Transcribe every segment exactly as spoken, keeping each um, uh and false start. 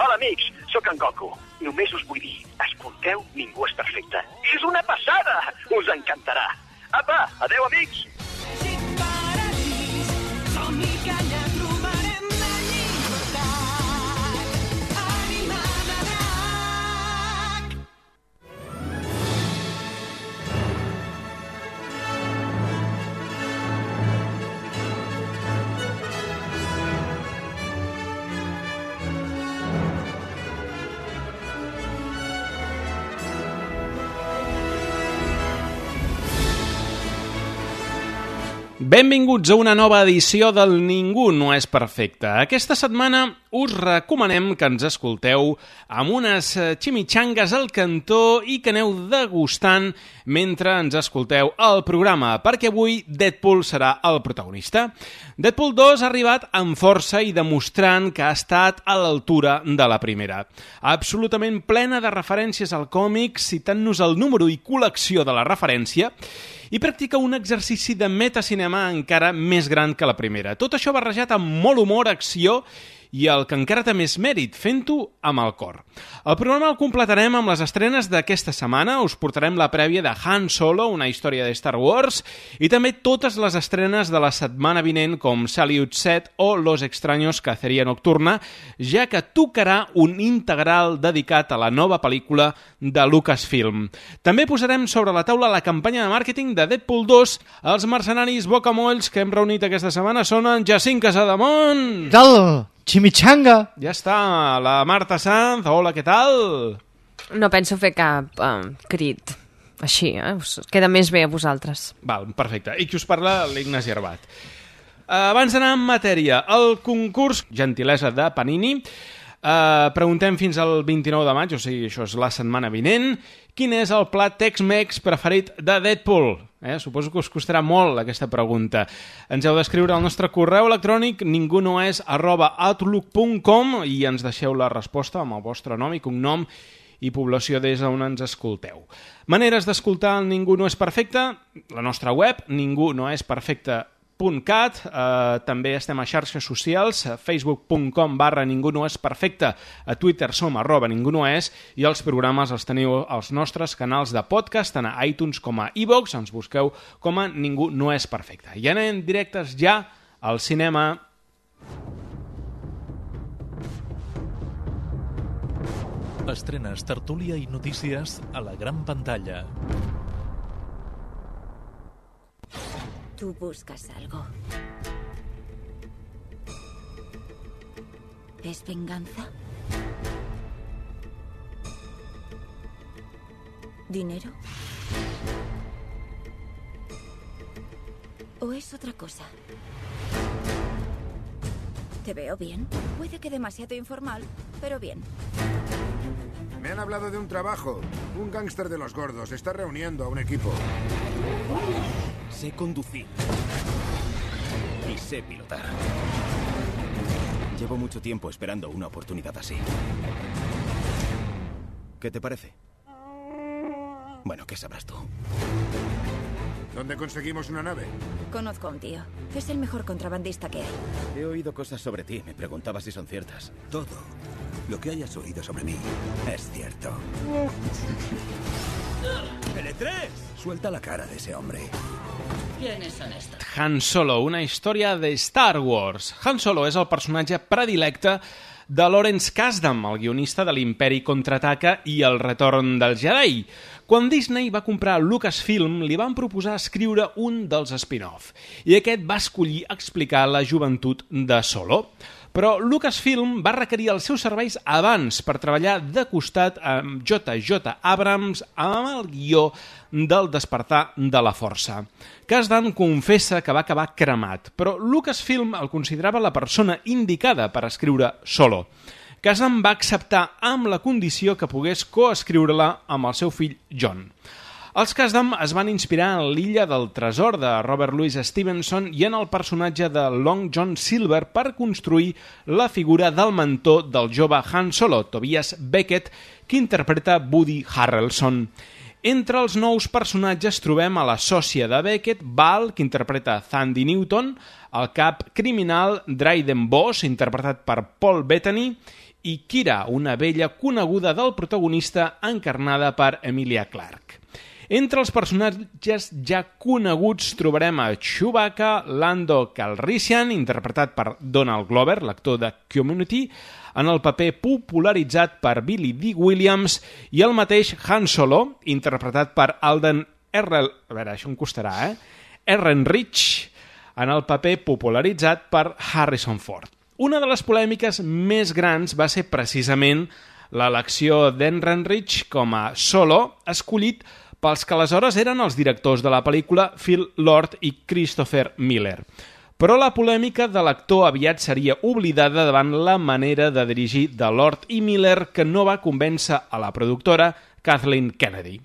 Hola, amics, sóc en Goku. Només us vull dir, escolteu Ningú és perfecte. És una passada! Us encantarà. Apa, adeu, amics! Benvinguts a una nova edició del Ningú no és perfecte. Aquesta setmana us recomanem que ens escolteu amb unes ximichangues al cantó i que aneu degustant mentre ens escolteu el programa, perquè avui Deadpool serà el protagonista. Deadpool dos ha arribat amb força i demostrant que ha estat a l'altura de la primera. Absolutament plena de referències al còmic, citant-nos el número i col·lecció de la referència, i practica un exercici de metacinema encara més gran que la primera. Tot això barrejat amb molt humor, acció i el que encara té més mèrit, fent-ho amb el cor. El programa el completarem amb les estrenes d'aquesta setmana, us portarem la prèvia de Han Solo, una història de Star Wars, i també totes les estrenes de la setmana vinent com Salute set o Los Extraños Cacería Nocturna, ja que tocarà un integral dedicat a la nova pel·lícula de Lucasfilm. També posarem sobre la taula la campanya de màrqueting de Deadpool dos. Els mercenaris bocamolls que hem reunit aquesta setmana són en Jacint Casademont. Tal, chimichanga. Ja està, la Marta Sanz. Hola, què tal? No penso fer cap uh, crit així, eh? Us queda més bé a vosaltres. Val, perfecte. I qui us parla? L'Ignasi Arbat. Uh, abans d'anar en matèria, el concurs gentilesa de Panini. Uh, preguntem fins al vint-i-nou de maig, o sigui, això és la setmana vinent, quin és el plat Tex-Mex preferit de Deadpool? Eh? Suposo que us costarà molt aquesta pregunta. Ens heu d'escriure al nostre correu electrònic ningunoes arroba outlook punt com i ens deixeu la resposta amb el vostre nom i cognom i població des on ens escolteu. Maneres d'escoltar el Ningú no és perfecte, la nostra web, ningú no és perfecte punt cat, eh, també estem a xarxes socials, a facebook punt com barra ningú no és perfecte, a Twitter som arroba ningú no és, i els programes els teniu als nostres canals de podcast, tant a iTunes com a iVoox, ens busqueu com a Ningú no és perfecte. I anem directes ja al cinema. Estrenes, tertúlia i notícies a la gran pantalla. Tú buscas algo. ¿Es venganza? ¿Dinero? ¿O es otra cosa? Te veo bien. Puede que demasiado informal, pero bien. Me han hablado de un trabajo. Un gángster de los gordos está reuniendo a un equipo. Sé conducir. Y sé pilotar. Llevo mucho tiempo esperando una oportunidad así. ¿Qué te parece? Bueno, ¿qué sabrás tú? ¿Dónde conseguimos una nave? Conozco a un tío. Es el mejor contrabandista que hay. He oído cosas sobre ti. Me preguntaba si son ciertas. Todo lo que hayas oído sobre mí es cierto. ¡L tres! Suelta la cara de ese hombre. ¿Quiénes son estos? Han Solo, una història de Star Wars. Han Solo és el personatge predilecte de Lawrence Kasdan, el guionista de l'Imperi Contraataca i el Retorn del Jedi. Quan Disney va comprar Lucasfilm, li van proposar escriure un dels spin-off, i aquest va escollir explicar la joventut de Solo. Però Lucasfilm va requerir els seus serveis abans per treballar de costat amb J J Abrams amb el guió del Despertar de la Força. Kasdan confessa que va acabar cremat, però Lucasfilm el considerava la persona indicada per escriure Solo. Kasdan va acceptar amb la condició que pogués coescriure-la amb el seu fill John. Els Kasdan es van inspirar en l'Illa del Tresor de Robert Louis Stevenson i en el personatge de Long John Silver per construir la figura del mentor del jove Han Solo, Tobias Beckett, que interpreta Woody Harrelson. Entre els nous personatges trobem a la sòcia de Beckett, Val, que interpreta Thandie Newton, el cap criminal Dryden Voss, interpretat per Paul Bettany, i Kira, una vella coneguda del protagonista encarnada per Emilia Clarke. Entre els personatges ja coneguts trobarem a Chewbacca, Lando Calrissian, interpretat per Donald Glover, l'actor de Community, en el paper popularitzat per Billy Dee Williams, i el mateix Han Solo, interpretat per Alden Ehrenreich, a veure, això em costarà, eh? Ehrenreich, en el paper popularitzat per Harrison Ford. Una de les polèmiques més grans va ser precisament l'elecció d'Ehrenreich com a Solo, escollit pels que aleshores eren els directors de la pel·lícula, Phil Lord i Christopher Miller. Però la polèmica de l'actor aviat seria oblidada davant la manera de dirigir de Lord i Miller, que no va convèncer a la productora Kathleen Kennedy.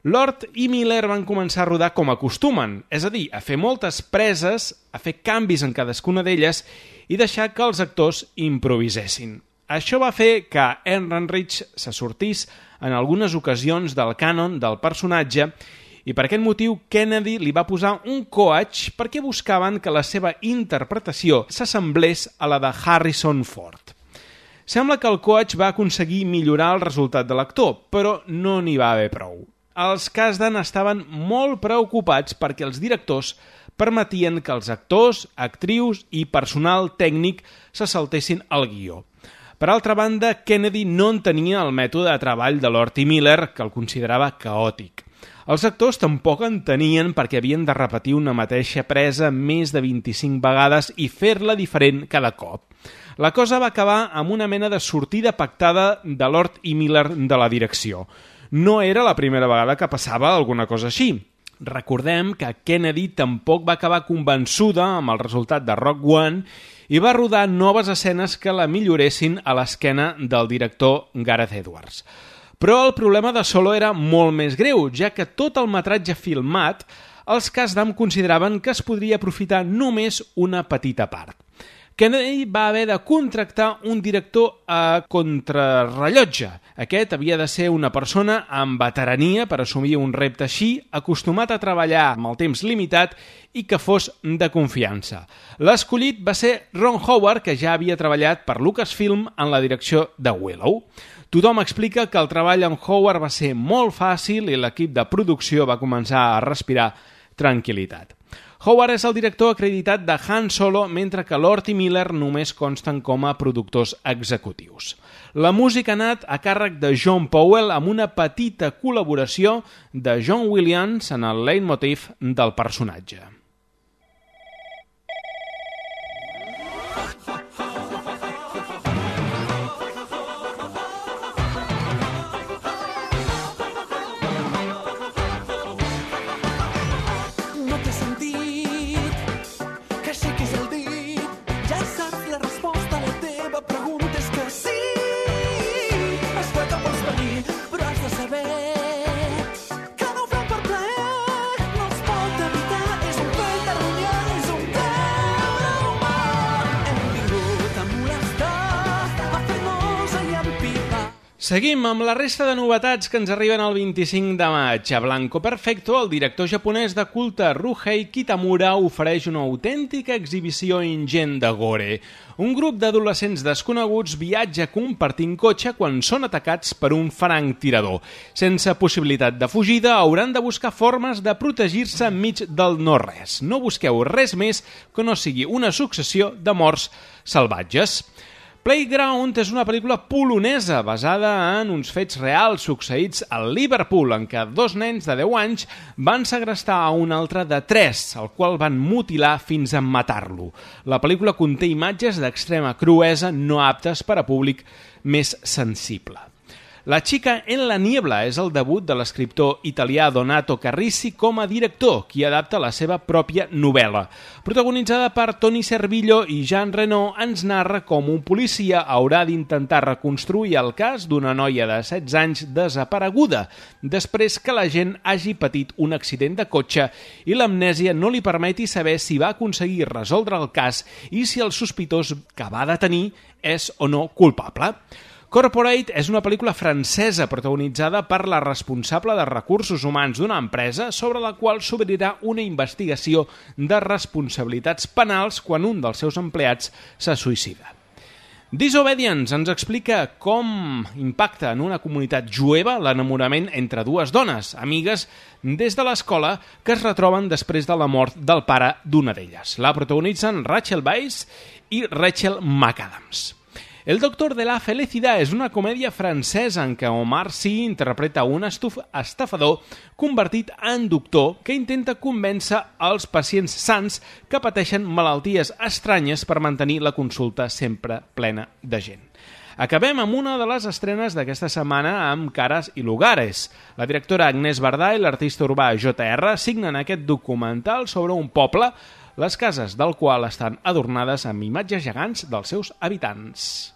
Lord i Miller van començar a rodar com acostumen, és a dir, a fer moltes preses, a fer canvis en cadascuna d'elles i deixar que els actors improvisessin. Això va fer que Ehrenreich se sortís en algunes ocasions del cànon del personatge i per aquest motiu Kennedy li va posar un coach perquè buscaven que la seva interpretació s'assemblés a la de Harrison Ford. Sembla que el coach va aconseguir millorar el resultat de l'actor, però no n'hi va haver prou. Els Kasdan estaven molt preocupats perquè els directors permetien que els actors, actrius i personal tècnic se saltessin el guió. Per altra banda, Kennedy no entenia el mètode de treball de Lord i Miller, que el considerava caòtic. Els actors tampoc entenien perquè havien de repetir una mateixa presa més de vint-i-cinc vegades i fer-la diferent cada cop. La cosa va acabar amb una mena de sortida pactada de Lord i Miller de la direcció. No era la primera vegada que passava alguna cosa així. Recordem que Kennedy tampoc va acabar convençuda amb el resultat de Rogue One i va rodar noves escenes que la milloressin a l'esquena del director Gareth Edwards. Però el problema de Solo era molt més greu, ja que tot el metratge filmat els Kasdan consideraven que es podria aprofitar només una petita part. Kennedy va haver de contractar un director a contrarrellotge. Aquest havia de ser una persona amb veterania per assumir un repte així, acostumat a treballar amb el temps limitat i que fos de confiança. L'escollit va ser Ron Howard, que ja havia treballat per Lucasfilm en la direcció de Willow. Tothom explica que el treball amb Howard va ser molt fàcil i l'equip de producció va començar a respirar tranquil·litat. Howard és el director acreditat de Han Solo, mentre que Lord i Miller només consten com a productors executius. La música ha anat a càrrec de John Powell amb una petita col·laboració de John Williams en el leitmotiv del personatge. Seguim amb la resta de novetats que ens arriben el vint-i-cinc de maig. A Blanco Perfecto, el director japonès de culte Ruhei Kitamura ofereix una autèntica exhibició ingent de gore. Un grup d'adolescents desconeguts viatja compartint cotxe quan són atacats per un franctirador. Sense possibilitat de fugida, hauran de buscar formes de protegir-se enmig del no-res. No busqueu res més que no sigui una successió de morts salvatges. Playground és una pel·lícula polonesa basada en uns fets reals succeïts a Liverpool, en què dos nens de deu anys van segrestar a un altre de tres, el qual van mutilar fins a matar-lo. La pel·lícula conté imatges d'extrema cruesa no aptes per a públic més sensible. La chica en la niebla és el debut de l'escriptor italià Donato Carrisi com a director, qui adapta la seva pròpia novel·la. Protagonitzada per Tony Servillo i Jean Reno, ens narra com un policia haurà d'intentar reconstruir el cas d'una noia de setze anys desapareguda, després que la gent hagi patit un accident de cotxe i l'amnèsia no li permeti saber si va aconseguir resoldre el cas i si el sospitós que va detenir és o no culpable. Corporate és una pel·lícula francesa protagonitzada per la responsable de recursos humans d'una empresa sobre la qual s'obrirà una investigació de responsabilitats penals quan un dels seus empleats se suïcida. Disobedience ens explica com impacta en una comunitat jueva l'enamorament entre dues dones, amigues des de l'escola, que es retroben després de la mort del pare d'una d'elles. La protagonitzen Rachel Weisz i Rachel McAdams. El Doctor de la Felicidad és una comèdia francesa en què Omar Sy interpreta un estuf estafador convertit en doctor que intenta convèncer els pacients sants que pateixen malalties estranyes per mantenir la consulta sempre plena de gent. Acabem amb una de les estrenes d'aquesta setmana amb Caras y Lugares. La directora Agnès Varda i l'artista urbà J R signen aquest documental sobre un poble, les cases del qual estan adornades amb imatges gegants dels seus habitants.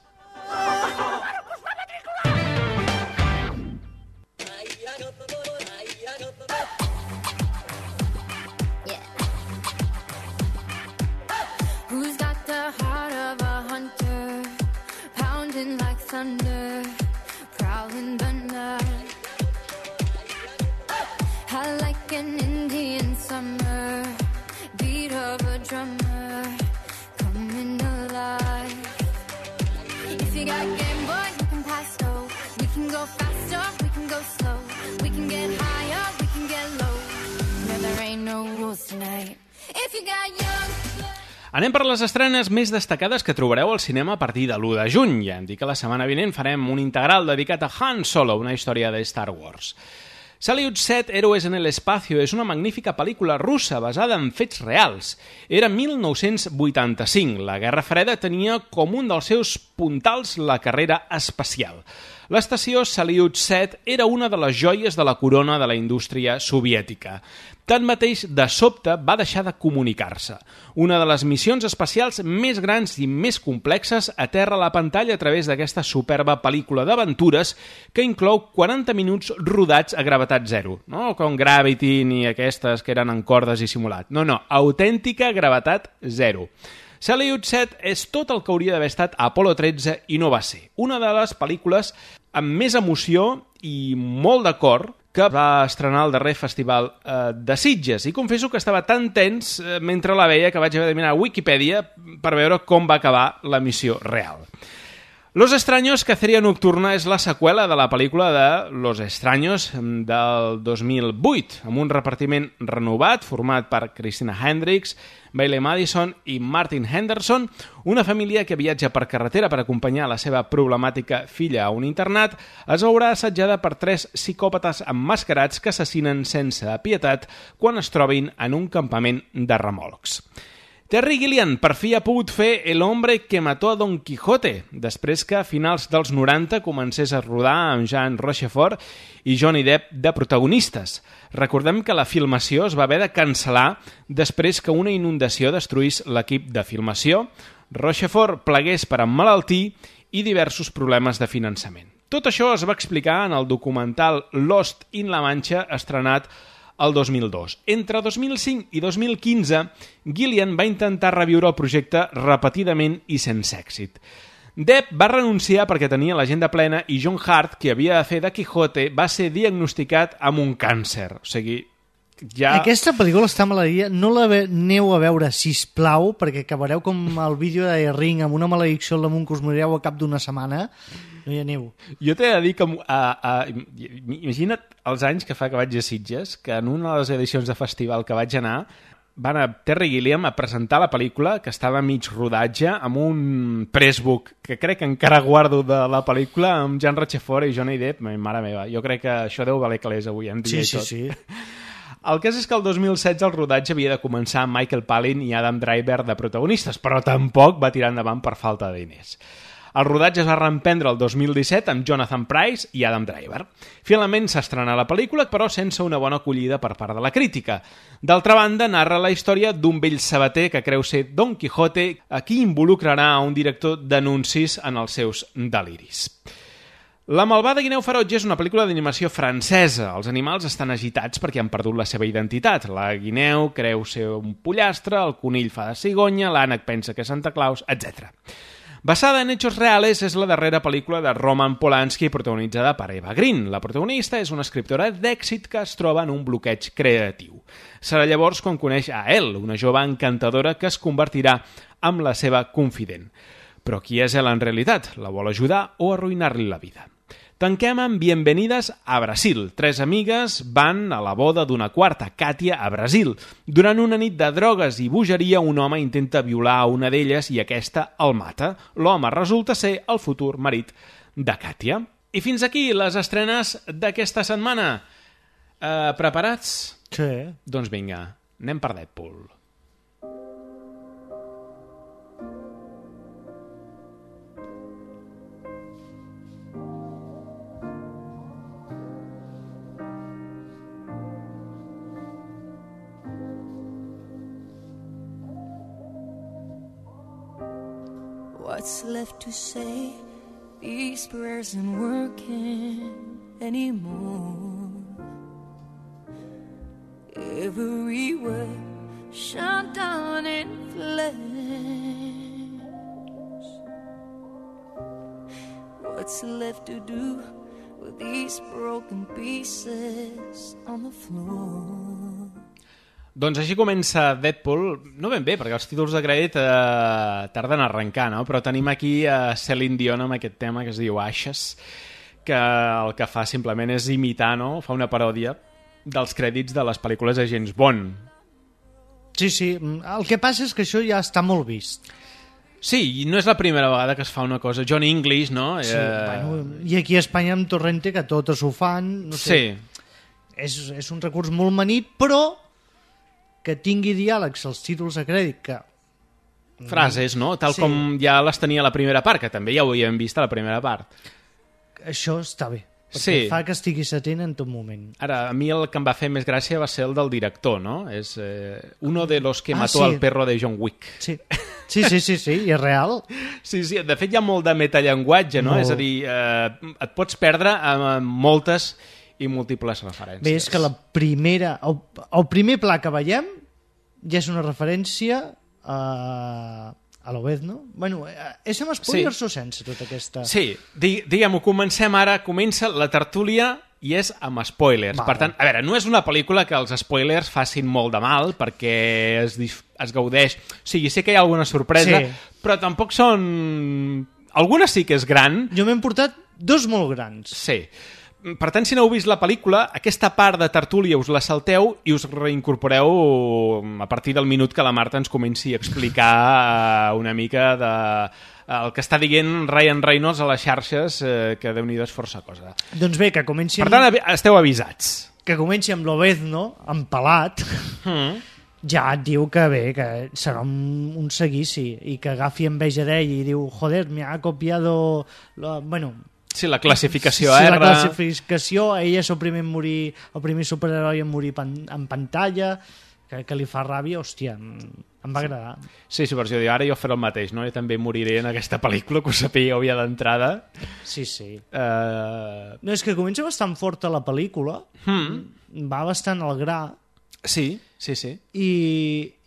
Who's got the heart of a hunter, pounding like thunder, prowling the night? I like an Indian summer, beat of a drummer, coming alive. If you got Game Boy, you can pass go. We can go faster, we can go slow. We can get higher, we can get low. No, there ain't no rules tonight. If you got young... Anem per les estrenes més destacades que trobareu al cinema a partir de l'u de juny. Ja hem dit que la setmana vinent farem un integral dedicat a Han Solo, una història de Star Wars. Salyut set, Héroes en el Espacio, és una magnífica pel·lícula russa basada en fets reals. Era mil nou-cents vuitanta-cinc. La Guerra Freda tenia com un dels seus puntals la carrera espacial. L'estació Salyut set era una de les joies de la corona de la indústria soviètica. Tanmateix, de sobte, va deixar de comunicar-se. Una de les missions espacials més grans i més complexes aterra a la pantalla a través d'aquesta superba pel·lícula d'aventures que inclou quaranta minuts rodats a gravetat zero. No com Gravity ni aquestes que eren en cordes i simulat. No, no, autèntica gravetat zero. Salyut set és tot el que hauria d'haver estat a Apolo tretze i no va ser. Una de les pel·lícules amb més emoció i molt de cor que va estrenar el darrer festival eh, de Sitges. I confesso que estava tan tens eh, mentre la veia que vaig haver de mirar a Wikipedia per veure com va acabar la missió real. Los Extraños, Caceria Nocturna, és la seqüela de la pel·lícula de Los Extraños del dos mil vuit, amb un repartiment renovat format per Christina Hendricks, Bailey Madison i Martin Henderson, una família que viatja per carretera per acompanyar la seva problemàtica filla a un internat, es veurà assetjada per tres psicòpates emmascarats que assassinen sense pietat quan es trobin en un campament de remolcs. Terry Gilliam per fi ha pogut fer El hombre que mató a Don Quijote, després que a finals dels noranta comencés a rodar amb Jean Rochefort i Johnny Depp de protagonistes. Recordem que la filmació es va haver de cancel·lar després que una inundació destruís l'equip de filmació, Rochefort plegués per emmalaltir i diversos problemes de finançament. Tot això es va explicar en el documental Lost in La Mancha, estrenat el dos mil dos. Entre dos mil cinc i dos mil quinze, Gilliam va intentar reviure el projecte repetidament i sense èxit. Depp va renunciar perquè tenia l'agenda plena i John Hurt, que havia de fer de Quijote, va ser diagnosticat amb un càncer. O sigui, ja... Aquesta pel·lícula està maleïda. No la aneu a veure, sisplau, perquè acabareu com el vídeo de Ring amb una maledicció al damunt que us morireu a cap d'una setmana. No hi aneu. Jo t'he de dir que... A, a, imagina't els anys que fa que vaig a Sitges, que en una de les edicions de festival que vaig anar va anar Terry Gilliam a presentar la pel·lícula, que estava a mig rodatge, amb un pressbook que crec que encara guardo de la pel·lícula, amb Jean Rochefort i Johnny Depp. Mare meva, jo crec que això deu valer calés avui en dia. Sí, sí, sí. El cas és que el dos mil setze el rodatge havia de començar amb Michael Palin i Adam Driver de protagonistes, però tampoc va tirar endavant per falta de diners. El rodatge es va reemprendre el dos mil disset amb Jonathan Pryce i Adam Driver. Finalment s'estrenà la pel·lícula, però sense una bona acollida per part de la crítica. D'altra banda, narra la història d'un vell sabater que creu ser Don Quijote, a qui involucrarà a un director d'anuncis en els seus deliris. La malvada guineu ferotge és una pel·lícula d'animació francesa. Els animals estan agitats perquè han perdut la seva identitat. La guineu creu ser un pollastre, el conill fa de cigonya, l'ànec pensa que és Santa Claus, etcètera. Basada en hechos reales, és la darrera pel·lícula de Roman Polanski protagonitzada per Eva Green. La protagonista és una escriptora d'èxit que es troba en un bloqueig creatiu. Serà llavors quan coneix a Elle, una jove encantadora que es convertirà en la seva confident. Però qui és ell en realitat? La vol ajudar o arruïnar-li la vida? Tanquem amb Bienvenidas a Brasil. Tres amigues van a la boda d'una quarta, Katia, a Brasil. Durant una nit de drogues i bogeria, un home intenta violar a una d'elles i aquesta el mata. L'home resulta ser el futur marit de Katia. I fins aquí les estrenes d'aquesta setmana. Eh, preparats? Sí. Doncs vinga, anem per Deadpool. What's left to say? These prayers aren't working anymore. Every word shut down in flames. What's left to do with these broken pieces on the floor? Doncs així comença Deadpool, no ben bé, perquè els títols de crèdit eh, tarden a arrencar, no? Però tenim aquí a Celine Dion amb aquest tema que es diu Ashes, que el que fa simplement és imitar, no? Fa una paròdia dels crèdits de les pel·lícules de James Bond. Sí, sí, el que passa és que això ja està molt vist. Sí, i no és la primera vegada que es fa una cosa. John English, no? Sí, eh... bueno, i aquí a Espanya amb Torrente, que totes ho fan, no sé. Sí. És, és un recurs molt manit, però que tingui diàlegs als títols de crèdit, que... Frases, no? Tal sí. com ja les tenia a la primera part, que també ja ho havíem vist a la primera part. Això està bé, perquè sí. fa que estiguis atent en tot moment. Ara, a mi el que em va fer més gràcia va ser el del director, no? És eh, uno de los que ah, mató sí. al perro de John Wick. Sí, sí, sí, sí, sí, i és real. Sí, sí, de fet hi ha molt de metallenguatge, no? Molt. És a dir, eh, et pots perdre amb moltes i múltiples referències. Bé, és que la primera, el, el primer pla que veiem ja és una referència a, a l'Obezno. Bueno, és amb spoilers sí. o sense tota aquesta... Sí, diguem-ho, comencem ara, comença la tertúlia i és amb spoilers. Vale. Per tant, a veure, no és una pel·lícula que els spoilers facin molt de mal perquè es, es gaudeix. O sigui, sé que hi ha alguna sorpresa, sí. però tampoc són... Alguna sí que és gran. Jo m'he portat dos molt grans. Sí. Per tant, si no heu vist la pel·lícula, aquesta part de tertúlia us la salteu i us reincorporeu a partir del minut que la Marta ens comenci a explicar una mica de el que està dient Ryan Reynolds a les xarxes, eh, que Déu-n'hi-do és força cosa. Doncs bé, que comenci... Per tant, esteu avisats. Que comenci amb l'Obezno, empalat, mm. ja et diu que bé, que serà un, un seguici, i que agafi enveja d'ell i diu, joder, me ha copiado... La... Bueno... Sí, la classificació sí, R. La classificació, ell és el primer, morir, el primer superheroi en morir pan, en pantalla, que, que li fa ràbia, hòstia, em, em va agradar. Sí, sí, per això diu, ara jo faré el mateix, no? Jo també moriré en aquesta pel·lícula, que ho sapíeu ja d'entrada. Sí, sí. Uh... No, és que comença bastant forta la pel·lícula, hmm. va bastant al gra. Sí, sí, sí. I,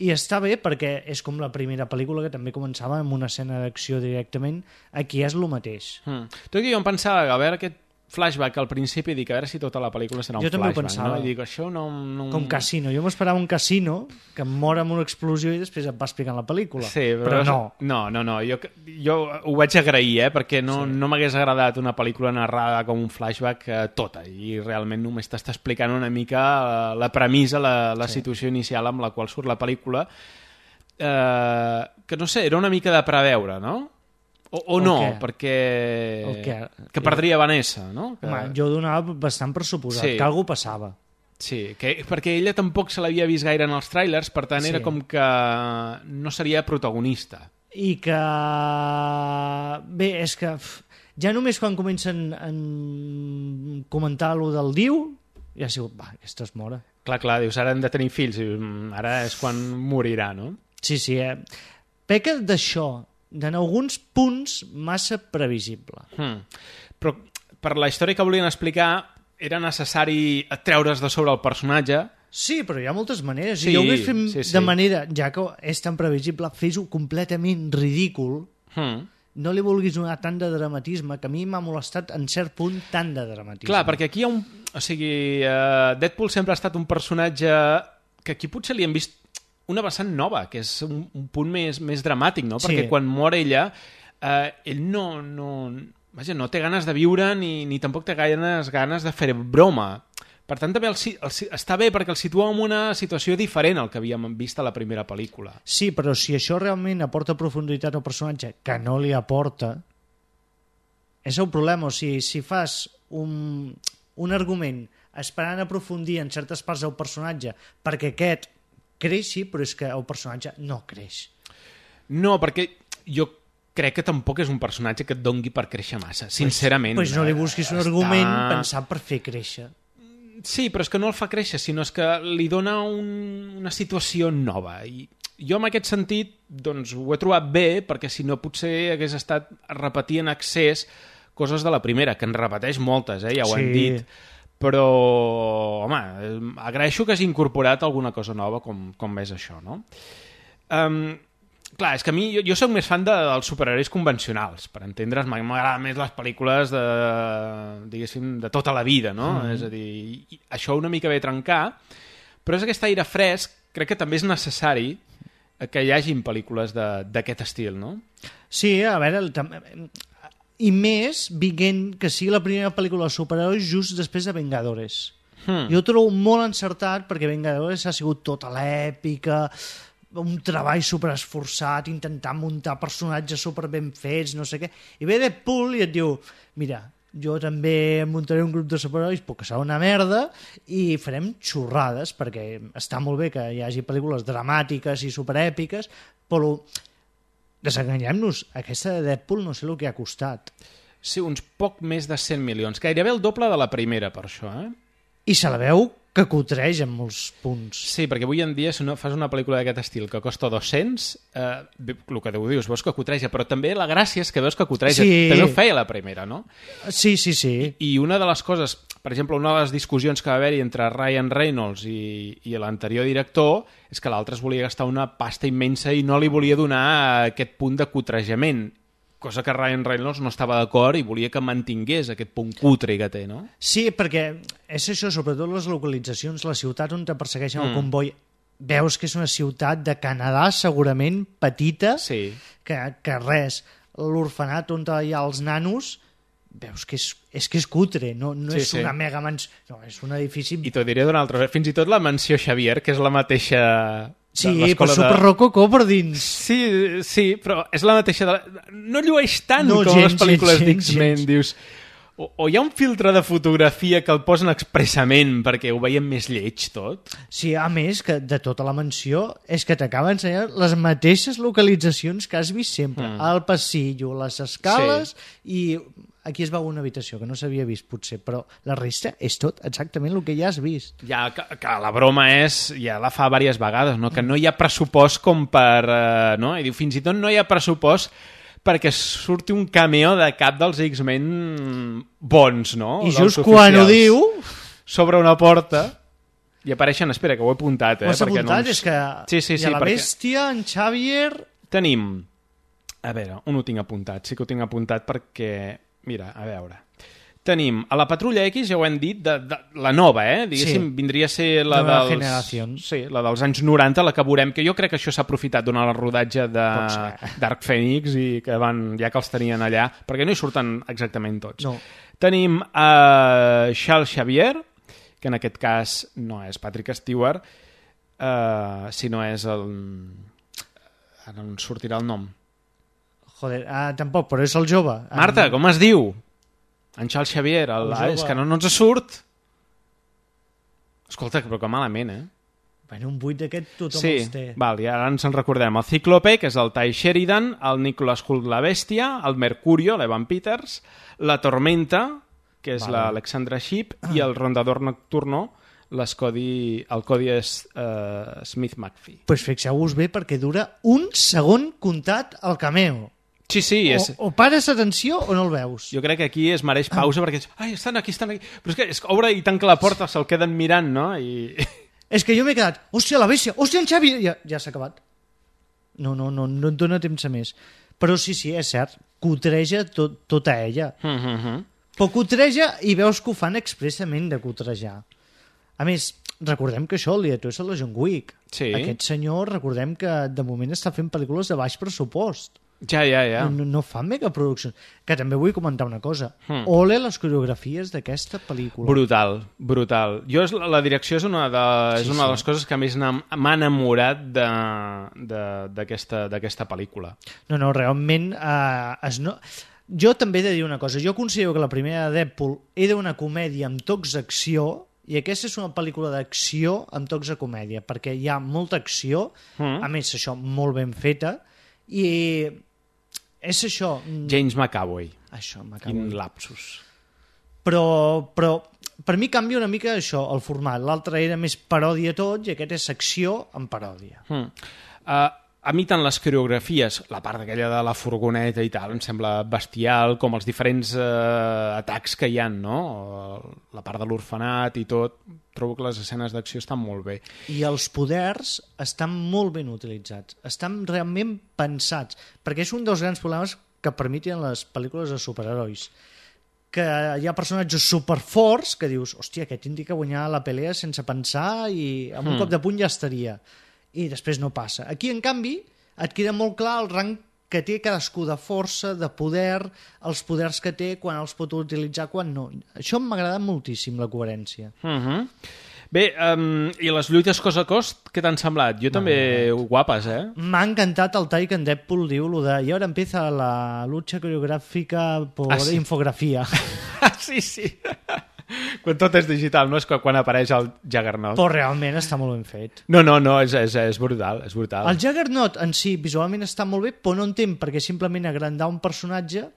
i està bé perquè és com la primera pel·lícula que també començava amb una escena d'acció directament. Aquí és el mateix. Mm. Tot i que jo em pensava que a veure aquest flashback al principi, dic a veure si tota la pel·lícula serà un jo flashback. Jo també ho pensava. No? I dic, això no, no... Com Casino. Jo m'esperava un Casino que mor amb una explosió i després et va explicant la pel·lícula. Sí, però, però no. No, no, no. Jo, jo ho vaig agrair, eh? Perquè no, sí. no m'hagués agradat una pel·lícula narrada com un flashback eh, tota, i realment només t'està explicant una mica eh, la premissa, la, la sí. situació inicial amb la qual surt la pel·lícula, eh, que no sé, era una mica de preveure, no? O, o no, què? perquè... Que, que perdria Vanessa, no? Que... Home, jo donava bastant per suposat, sí. que alguna passava. Sí, que, perquè ella tampoc se l'havia vist gaire en els tràilers, per tant sí. era com que no seria protagonista. I que... Bé, és que ja només quan comencen a comentar allò del diu, ja ha sigut, va, aquesta es mora. Clar, clar, dius, ara hem de tenir fills, i ara és quan morirà, no? Sí, sí, eh? Peca d'això, en alguns punts massa previsible. Hmm. Però per la història que volien explicar era necessari treure's de sobre el personatge. Sí, però hi ha moltes maneres. Sí, I jo ho vaig fer sí, sí. de manera, ja que és tan previsible, fes-ho completament ridícul. Hmm. No li vulguis donar tant de dramatisme, que a mi m'ha molestat en cert punt tant de dramatisme. Clar, perquè aquí hi ha un... O sigui, uh, Deadpool sempre ha estat un personatge que aquí potser li hem vist una vessant nova, que és un, un punt més, més dramàtic, no? Sí. Perquè quan mor ella eh, ell no, no, vaja, no té ganes de viure ni, ni tampoc té ganes, ganes de fer broma. Per tant, també el, el, està bé perquè el situa en una situació diferent al que havíem vist a la primera pel·lícula. Sí, però si això realment aporta profunditat al personatge, que no li aporta, és el problema. O sigui, si fas un, un argument esperant aprofundir en certes parts del personatge perquè aquest creixi, però és que el personatge no creix. No, perquè jo crec que tampoc és un personatge que et dongui per créixer massa, sincerament. Doncs pues no li busquis un està... argument pensat per fer créixer. Sí, però és que no el fa créixer, sinó és que li dona un, una situació nova. I jo en aquest sentit doncs, ho he trobat bé, perquè si no potser hagués estat repetint en excés coses de la primera, que en repeteix moltes, eh? Ja ho sí. hem dit. Però, home, agraeixo que hagi incorporat alguna cosa nova com, com és això, no? Um, clar, és que a mi, jo, jo soc més fan de, dels superherois convencionals, per entendre's, m'agraden més les pel·lícules de, diguéssim, de tota la vida, no? Mm. És a dir, això una mica ve a trencar, però és aquest aire fresc, crec que també és necessari que hi hagin pel·lícules d'aquest estil, no? Sí, a veure, el, i més vinguent que sigui la primera pel·lícula de superherois just després de Vengadores. Hmm. Jo ho trobo molt encertat perquè Vengadores ha sigut tota l'èpica, un treball superesforçat, intentant muntar personatges super ben fets, no sé què. I ve Deadpool i et diu, mira, jo també muntaré un grup de superherois, puc que serà una merda, i farem xorrades, perquè està molt bé que hi hagi pel·lícules dramàtiques i superèpiques, però desenganyem-nos, aquesta de Deadpool no sé el que ha costat. Sí, uns poc més de cent milions, gairebé el doble de la primera, per això, eh? I se la veu que cotreja en molts punts. Sí, perquè avui en dia si no fas una pel·lícula d'aquest estil que costa dos-cents, eh, el que Déu dius, veus que cotreja, però també la gràcia és que veus que cotreja. Sí. També ho feia la primera, no? Sí, sí, sí. I, i una de les coses, per exemple, una de les discussions que va haver-hi entre Ryan Reynolds i, i l'anterior director és que l'altre es volia gastar una pasta immensa i no li volia donar aquest punt de cotrejament, cosa que Ryan Reynolds no estava d'acord i volia que mantingués aquest punt cutre que té, no? Sí, perquè és això, sobretot les localitzacions, la ciutat on te persegueixen mm. el comboi, veus que és una ciutat de Canadà segurament petita, sí. que, que res, l'orfenat on hi ha els nanos, veus que és, és que és cutre, no, no sí, és sí. una mega mansió, no, és un edifici... I t'ho diré d'una altra, fins i tot la mansió Xavier, que és la mateixa... Sí, però superrococó de... per dins. Sí, sí, però és la mateixa... De... No llueix tant no, com gens, les pel·lícules d'X-Men, dius... O, o hi ha un filtre de fotografia que el posen expressament perquè ho veiem més lleig tot? Sí, a més, que de tota la mansió és que t'acaba ensenyant les mateixes localitzacions que has vist sempre. Mm. El passillo, les escales sí. i... Aquí es veu una habitació que no s'havia vist, potser, però la resta és tot exactament el que ja has vist. Ja, que, que la broma és, ja la fa diverses vegades, no? Que no hi ha pressupost com per... Eh, no? I diu, fins i tot no hi ha pressupost perquè surti un cameo de cap dels X-Men bons, no? I just quan ho diu... Sobre una porta i apareixen... Espera, que ho he apuntat, eh? Ho has apuntat? No ens... És que sí, sí, sí, hi ha la perquè... bèstia, en Xavier... Tenim... A veure, on ho tinc apuntat? Sí que ho tinc apuntat perquè... Mira, a veure... Tenim a la Patrulla X, ja ho hem dit, de, de, la nova, eh? Diguéssim, sí. Vindria a ser la de dels... generació. Sí, la dels anys noranta, la que veurem, que jo crec que això s'ha aprofitat durant el rodatge de Dark Phoenix i que van, ja que els tenien allà, perquè no hi surten exactament tots. No. Tenim a uh, Charles Xavier, que en aquest cas no és Patrick Stewart, uh, sinó és el... Ara no sortirà el nom. Joder, ah, tampoc, però és el jove. Marta, com es diu? En Charles Xavier, el, el és que no, no ens surt. Escolta, però que malament, eh? Bueno, un buit d'aquest tothom sí, els té. Val, i ara ens en recordem. El Cíclope, que és el Ty Sheridan, el Nicholas Hoult, la Bèstia, el Mercurio, l'Evan Peters, la Tormenta, que és vale. l'Alexandra Shipp, ah. i el Rondador Nocturno, Cody, el Cody és uh, Smith McPhee. Doncs pues fixeu-vos bé perquè dura un segon comptat al cameo. Sí, sí. És... O, o pares atenció o no el veus. Jo crec que aquí es mereix pausa ah. perquè ai, estan aquí, estan aquí. Però és que és, obre i tanca la porta, se'l queden mirant, no? I... És que jo m'he quedat, hòstia, la bèstia, hòstia, en Xavi, ja, ja s'ha acabat. No, no, no, no et dona temps a més. Però sí, sí, és cert, cotreja tot, tota ella. Mm -hmm. Però cotreja i veus que ho fan expressament de cotrejar. A més, recordem que això, el director és el de John Wick. Sí. Aquest senyor, recordem que de moment està fent pel·lícules de baix pressupost. Ja, ja, ja. No, no fan megaproduccions. Que també vull comentar una cosa. Hmm. Ole les coreografies d'aquesta pel·lícula. Brutal, brutal. Jo, és, la direcció és una de, sí, és una sí. de les coses que més m'ha enamorat d'aquesta pel·lícula. No, no, realment... Eh, es no... Jo també he de dir una cosa. Jo considero que la primera de Deadpool era una comèdia amb tocs d'acció i aquesta és una pel·lícula d'acció amb tocs de comèdia, perquè hi ha molta acció, mm. a més, això, molt ben feta, i és això... James McAvoy. Això, McAvoy. Quin lapsus. Però, però per mi canvia una mica això, el format. L'altre era més paròdia tot i aquest és acció amb paròdia. Mm. Uh, a mi tant les coreografies, la part aquella de la furgoneta i tal, em sembla bestial, com els diferents uh, atacs que hi ha, no? La part de l'orfenat i tot, trobo que les escenes d'acció estan molt bé. I els poders estan molt ben utilitzats, estan realment pensats, perquè és un dels grans problemes que permeten les pel·lícules de superherois, que hi ha personatges superforts que dius, hòstia, aquest tindria que guanyar la pelea sense pensar i amb un mm. cop de puny ja estaria. I després no passa. Aquí, en canvi, et queda molt clar el rang que té cadascú de força, de poder, els poders que té, quan els pot utilitzar, quan no. Això m'agrada moltíssim, la coherència. Uh-huh. Bé, um, i les lluites cos a cos, què t'han semblat? Jo també, guapes, eh? M'ha encantat el tall que en Deadpool diu lo de, i ara empieza la lucha coreográfica por ah, sí. infografía. sí, sí. Quan tot és digital, no és quan apareix el Juggernaut. Però realment està molt ben fet. No, no, no, és, és, és brutal, és brutal. El Juggernaut en si visualment està molt bé, però no entenc perquè simplement agrandar un personatge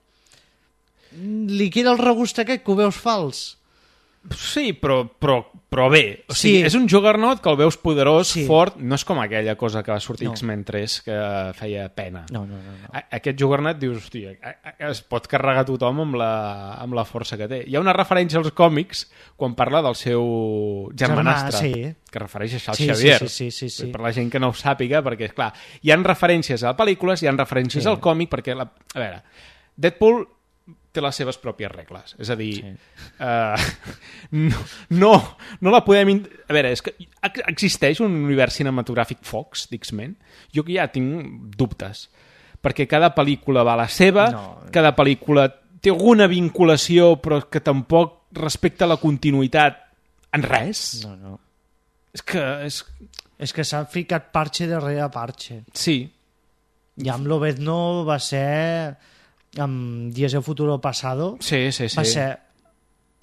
li queda el regust aquest que ho veus fals. Sí, però, però, però bé. O sigui, sí. És un Juggernaut que el veus poderós, sí. fort, no és com aquella cosa que va sortir no. X-Men tres que feia pena. No, no, no, no. Aquest Juggernaut dius, hòstia, es pot carregar tothom amb la, amb la força que té. Hi ha una referència als còmics quan parla del seu germanastre, Germà, sí. que refereix a Charles sí, Xavier. Sí, sí, sí, sí, sí. Per la gent que no ho sàpiga, perquè, esclar, hi ha referències a pel·lícules, hi ha referències sí. al còmic, perquè, la... a veure, Deadpool té les seves pròpies regles. És a dir, sí. uh, no, no, no la podem... In... A veure, és que existeix un univers cinematogràfic Fox d'X-Men? Jo que ja tinc dubtes. Perquè cada pel·lícula va a la seva, no. cada pel·lícula té alguna vinculació, però que tampoc respecta la continuïtat en res. No, no. És que... És, és que s'ha ficat parche darrere parche. Sí. I amb Lobezno va ser... amb Días del Futuro Pasado sí, sí, sí. va ser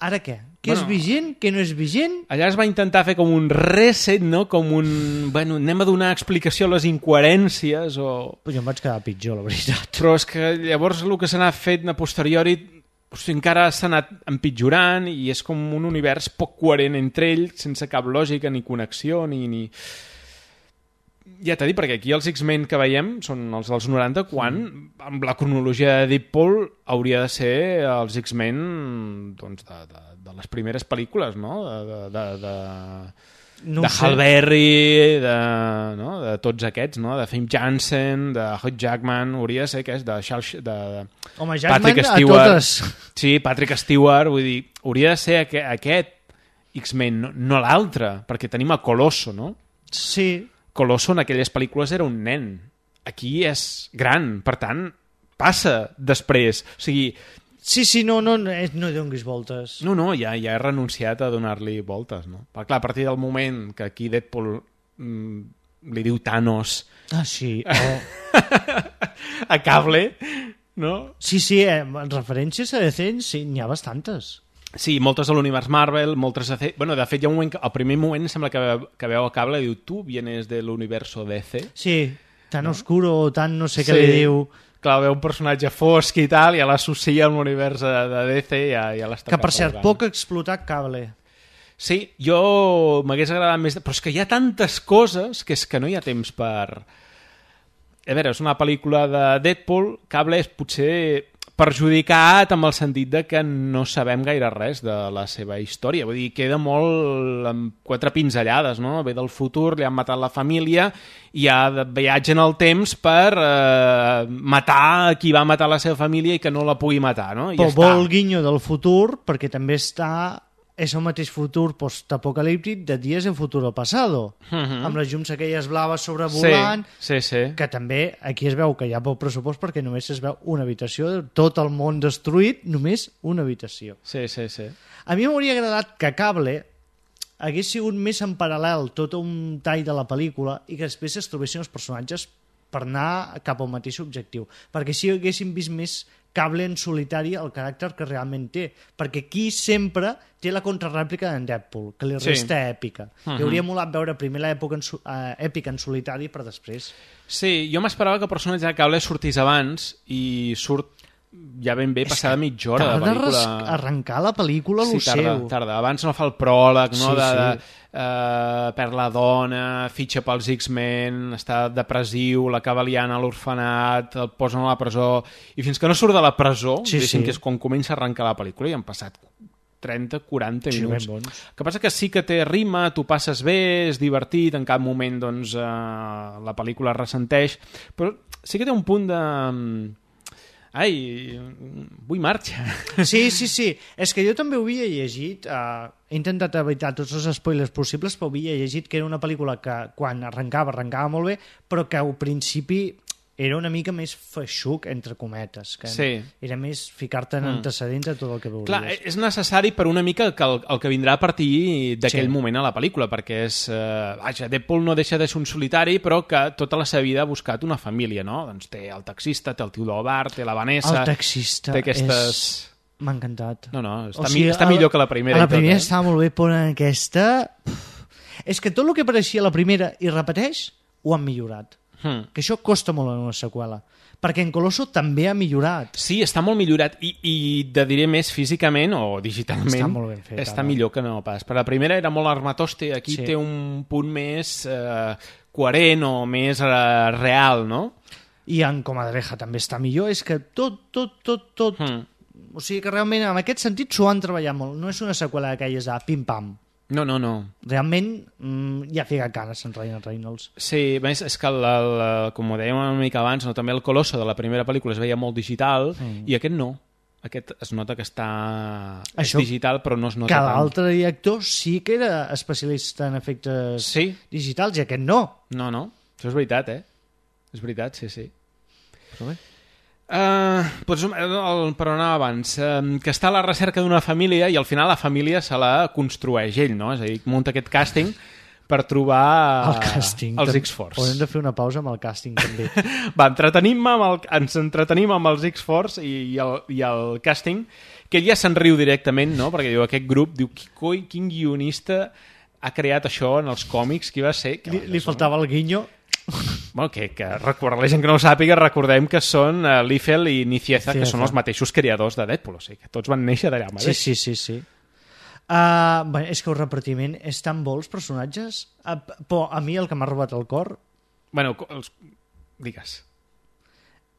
ara què? Què bueno, és vigent? Què no és vigent? Allà es va intentar fer com un reset, no? Com un... Bueno, anem a donar explicació a les incoherències o... Però jo em vaig quedar pitjor, la veritat. Però és que llavors el que s'ha anat fet a posteriori o sigui, encara s'ha anat empitjorant i és com un univers poc coherent entre ells, sense cap lògica ni connexió ni... ni... Ja t'he dit, perquè aquí els X-Men que veiem són els dels noranta, quan mm. amb la cronologia de Deadpool hauria de ser els X-Men doncs, de, de, de les primeres pel·lícules, no? De, de, de, no de Hal Berry, de, no? de tots aquests, no? De Fame Jansen, de Hugh Jackman, hauria de ser aquest, de, Charles, de, de Home, Jackman Patrick Stewart. A totes. Sí, Patrick Stewart, vull dir, hauria de ser aquest, aquest X-Men, no, no l'altre, perquè tenim a Colosso, no? Sí. Colosso en aquelles pel·lícules era un nen. Aquí és gran, per tant, passa després. O sigui... Sí, sí, no, no, no donguis voltes. No, no, ja, ja he renunciat a donar-li voltes, no? Però, clar, a partir del moment que aquí Deadpool mm, li diu Thanos... Ah, sí. Oh. a Cable, no? Sí, sí, eh, referències a D C sí, n'hi ha bastantes. Sí, moltes de l'univers Marvel, moltes de... Bueno, de fet, hi ha un moment que, al primer moment sembla que, que veu a Cable i diu, tu vienes de l'universo D C? Sí, tan no? oscuro, tan no sé sí. què li diu. Clar, veu un personatge fosc i tal, i ja l'associa amb l'univers de, de D C i ja, ja l'està que, per cert, poc explotat Cable. Sí, jo m'hagués agradat més... Però és que hi ha tantes coses que és que no hi ha temps per... A veure, és una pel·lícula de Deadpool, Cable és potser... perjudicat amb el sentit de que no sabem gaire res de la seva història. Vull dir, queda molt amb quatre pinzellades, no? Ve del futur, li han matat la família i ha de viatge en el temps per eh, matar qui va matar la seva família i que no la pugui matar, no? I Però ja vol guinyo del futur perquè també està és el mateix futur postapocalíptic de Días en Futuro Pasado, uh-huh. amb les llums aquelles blaves sobrevolant, sí, sí, sí. que també aquí es veu que hi ha poc pressupost perquè només es veu una habitació, tot el món destruït, només una habitació. Sí, sí, sí. A mi m'hauria agradat que Cable hagués sigut més en paral·lel tot un tall de la pel·lícula i que després es trobessin els personatges per anar cap al mateix objectiu, perquè així haguéssim vist més Cable en solitari el caràcter que realment té, perquè aquí sempre té la contrarèplica d'en Deadpool, que li resta sí. èpica. Uh-huh. Li hauria molat veure primer l'època en, uh, èpica en solitari per després. Sí, jo m'esperava que el personatge de Cable sortís abans i surt ja ben bé passada mitja hora de pel·lícula. Tarda arrencar la pel·lícula a lo sí, tarda, seu. tarda. Abans no fa el pròleg, no? Sí, de, sí. de, uh, perd la dona, fitxa pels X-Men, està depressiu, l'acaba liant a l'orfenat, el posen a la presó, i fins que no surt de la presó, sí, sí. que és quan comença a arrencar la pel·lícula, i han passat trenta quaranta sí, minuts. Ben bons. El que passa que sí que té rima, tu passes bé, és divertit, en cap moment doncs, uh, la pel·lícula ressenteix, però sí que té un punt de... Ai, vull marxa. Sí, sí, sí. És que jo també ho havia llegit, uh, he intentat evitar tots els spoilers possibles, però havia llegit que era una pel·lícula que quan arrencava, arrencava molt bé, però que al principi era una mica més feixuc, entre cometes, que sí. era més ficar-te en mm. antecedents a tot el que veuries. Clar, és necessari per una mica que el, el que vindrà a partir d'aquell sí. moment a la pel·lícula, perquè és... Eh, vaja, Deadpool no deixa de ser un solitari, però que tota la seva vida ha buscat una família, no? Doncs té el taxista, té el tio del bar, té la Vanessa... El taxista té aquestes... és... M'ha encantat. No, no, està, o sigui, mi, està millor que la primera. A la primera tot, eh? estava molt bé, però en aquesta... És que tot el que apareixia a la primera i repeteix, ho han millorat. Hmm. Que això costa molt en una seqüela, perquè en Colosso també ha millorat. Sí, està molt millorat i, i te diré més físicament o digitalment està molt ben fet, està ara. millor que no pas. Per la primera era molt armatoste, aquí sí. té un punt més eh, coherent o més eh, real, no? I en Comadreja també està millor, és que tot, tot, tot, tot... Hmm. O sigui que realment en aquest sentit s'ho han treballat molt, no és una seqüela d'aquelles a pim-pam. No, no, no. Realment mm, ja fica canes en Ryan Reynolds. Sí, més és que, el, el, com ho dèiem una mica abans, no, també el Colosso de la primera pel·lícula es veia molt digital mm. i aquest no. Aquest es nota que està Això, digital, però no es nota que tant. l'altre director sí que era especialista en efectes sí. digitals i aquest no. No, no. Això és veritat, eh? És veritat, sí, sí. Però bé... Uh, doncs, el, per on anava abans uh, que està a la recerca d'una família i al final la família se la construeix ell, no? És a dir, munta aquest càsting per trobar el càsting, els X-Force. Haurem de fer una pausa amb el càsting també. Va, entretenim amb el, ens entretenim amb els X-Force i, i, el, i el càsting, que ell ja se'n riu directament, no? Perquè diu, aquest grup, diu, coi, quin guionista ha creat això en els còmics, qui va ser? Li, li faltava el guinyo. Bueno, que, que recordar, la gent que no ho sàpiga, recordem que són uh, Liefeld i Nicieza, que són els mateixos creadors de Deadpool, o sigui, que tots van néixer d'allà mateix. Sí, sí, sí, sí. Uh, bueno, és que el repartiment és tan bo els personatges, uh, però a mi el que m'ha robat el cor... Bueno, els... digues.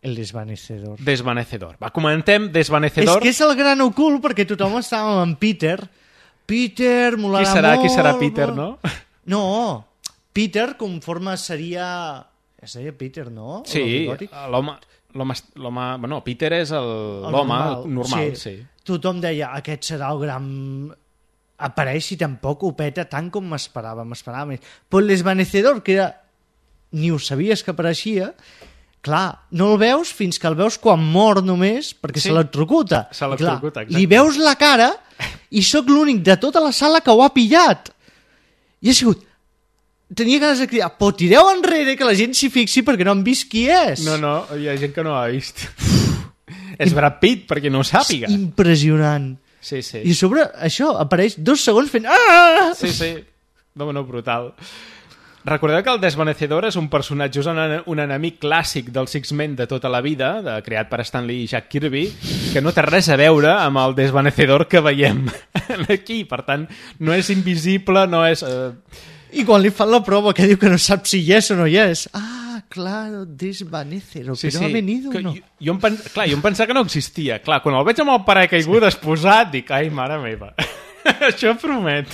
El desvanecedor. Desvanecedor. Va, comentem Desvanecedor. És que és el gran ocult, perquè tothom estava amb Peter. Peter, molarà qui serà, molt... Qui serà Peter, no? No, Peter conforme seria... Seria Peter, no? Sí, l'home... L'home... Bueno, Peter és l'home normal, normal sí. sí. Tothom deia, aquest serà el gran... Apareix i tampoc ho peta tant com m'esperava, m'esperava més. Però el desvanecedor, que era... ni ho sabies que apareixia... Clar, no el veus fins que el veus quan mor només, perquè sí. se l'electrocuta. Se l'electrocuta, exacte. Li veus la cara i sóc l'únic de tota la sala que ho ha pillat. I ha sigut... Tenia ganes de cridar, però tireu enrere que la gent s'hi fixi perquè no han vist qui és. No, no, hi ha gent que no ha vist. És Brad Pitt, perquè no ho sàpiga. És impressionant. Sí, sí. I sobre això apareix dos segons fent... Ah! Sí, sí. No, no, brutal. Recordeu que el Desvanecedor és un personatge, és un, un enemic clàssic dels X-Men de tota la vida, de, creat per Stan Lee i Jack Kirby, que no té res a veure amb el Desvanecedor que veiem aquí. Per tant, no és invisible, no és... Eh... I quan li fan la prova que diu que no sap si hi és o no hi és. Ah, claro, Desvanecedor, sí, però sí. ha venido que, o no? Jo, jo, em pen... Clar, jo em pensava que no existia. Clar, quan el veig amb el paracaigudes posat, dic, ai, mare meva. Això promet.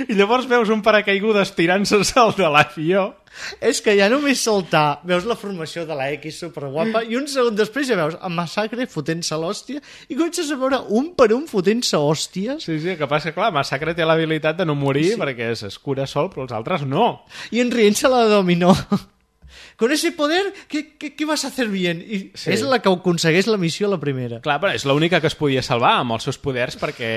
I llavors veus un paracaigudes tirant-se al de l'avió. És que ja només saltar, veus la formació de la X superguapa i un segon després ja veus el Massacre fotent-se l'hòstia i comences a veure un per un fotent-se hòsties. Sí, sí, el que passa, clar, Massacre té l'habilitat de no morir sí. perquè es cura sol, però els altres no. I en rient-se la dominó. Con ese poder, ¿qué, qué, qué vas a hacer bien? I sí. És la que aconsegueix la missió la primera. Clar, però és l'única que es podia salvar amb els seus poders, perquè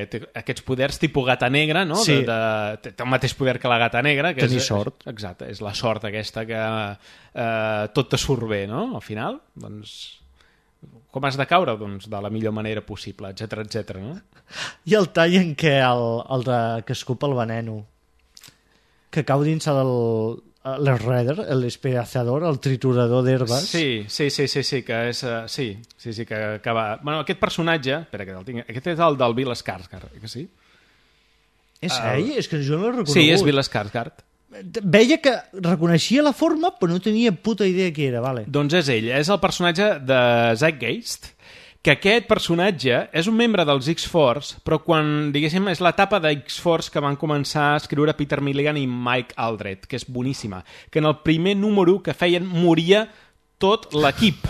té aquests poders tipus gata negra, no? Sí. De, de, té el mateix poder que la gata negra. Que Tenir és, sort. Exacte, és la sort aquesta que eh, tot te surt bé, no? Al final, doncs... Com has de caure? Doncs de la millor manera possible, etcètera, etcètera, no? I el tall en què el, el de, que escupa el veneno, que cau dins el... l'Shredder, l'espedazador, el triturador d'herbes. Sí, sí, sí, sí, sí, que és... Uh, sí, sí, sí, que, que va... Bueno, aquest personatge... Espera, que el tinc... Aquest és el del Bill Skarsgård, que sí? És uh, ell? És que jo no l'he reconegut. Sí, és Bill Skarsgård. Veia que reconeixia la forma, però no tenia puta idea qui era, vale. Doncs és ell, és el personatge de Zeitgeist, que aquest personatge és un membre dels X-Force, però quan, diguéssim, és l'etapa de X-Force que van començar a escriure Peter Milligan i Mike Aldred, que és boníssima, que en el primer número que feien moria tot l'equip.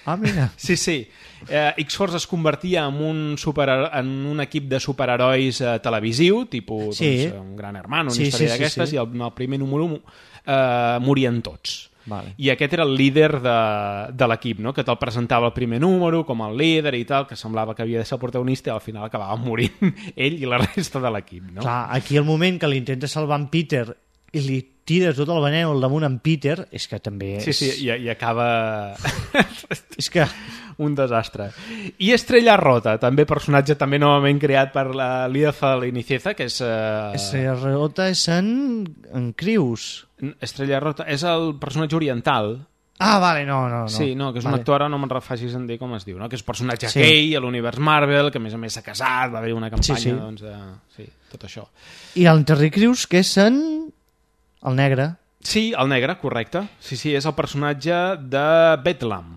Ah, mira. Sí, sí. Eh, X-Force es convertia en un, super, en un equip de superherois eh, televisiu, tipus sí. doncs, un gran hermano, una sí, història sí, d'aquestes, sí, sí. i el, en el primer número eh, morien tots. Vale. I aquest era el líder de, de l'equip, no? Que te'l presentava el primer número com el líder i tal, que semblava que havia de ser el protagonista i al final acabava morint ell i la resta de l'equip, no? Clar, aquí el moment que l'intenta salvar en Peter i li tira tot el veneno al damunt en Peter, és que també és... Sí, sí, i, i acaba... és que... un desastre. I Estrella Rota, també personatge també novament creat per la Lida Falinizieza, que és... Uh... Estrella Rota és en, en Crius. Estrella Rota és el personatge oriental. Ah, vale, no, no. no. Sí, no, que és vale. un actor, ara no me'n refacis en dir com es diu, no? Que és un personatge sí. gay a l'univers Marvel, que a més a més s'ha casat, va haver una campanya, sí, sí. doncs, de... sí, tot això. I el Terry Crews, que és en... el negre. Sí, el negre, correcte. Sí, sí, és el personatge de Bedlam,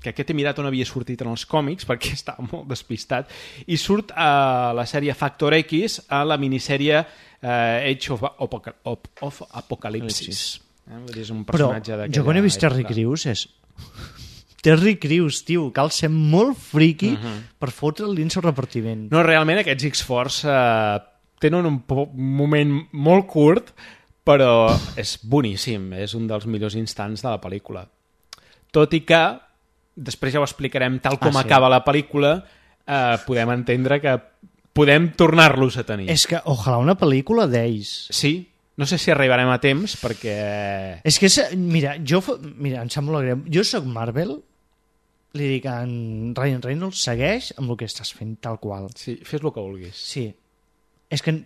que aquest he mirat on havia sortit en els còmics perquè estava molt despistat, i surt a la sèrie Factor X, a la minissèrie uh, Age of, Apoca of, of Apocalipsis. Eh? És un personatge però jo quan he vist Terry Crews és... Terry Crews, tio, cal ser molt friqui uh -huh. per fotre'l dins el repartiment. No, realment aquests X-Force uh, tenen un, un moment molt curt, però és boníssim, és un dels millors instants de la pel·lícula. Tot i que després ja ho explicarem, tal com ah, sí. acaba la pel·lícula, eh, podem entendre que podem tornar-los a tenir. És que, ojalà una pel·lícula d'ells. Sí, no sé si arribarem a temps, perquè... És que, mira, jo, mira, em sap molt greu, jo soc Marvel, li dic a en Ryan Reynolds, segueix amb el que estàs fent tal qual. Sí, fes el que vulguis. Sí. És que...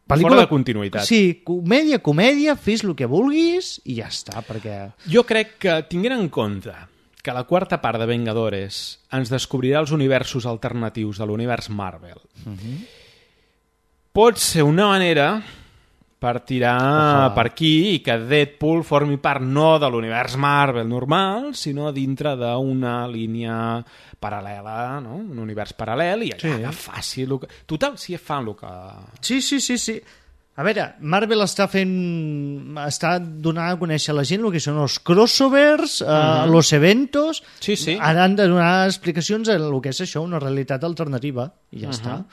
Pel·lícula... Fora de continuïtat. Sí, comèdia, comèdia, fes el que vulguis i ja està, perquè... Jo crec que, tinguent en compte que la quarta part de Vengadores ens descobrirà els universos alternatius de l'univers Marvel, uh-huh. pot ser una manera per tirar uh-huh. per aquí i que Deadpool formi part no de l'univers Marvel normal, sinó dintre d'una línia paral·lela, no? Un univers paral·lel, i allà sí. faci el que... Total, si fan el que... Sí, sí, sí, sí. A veure, Marvel està fent... està donant a conèixer a la gent el que són els crossovers, uh -huh. uh, los eventos... Sí, sí. Ara han de donar explicacions a el que és això, una realitat alternativa, i ja uh -huh. està.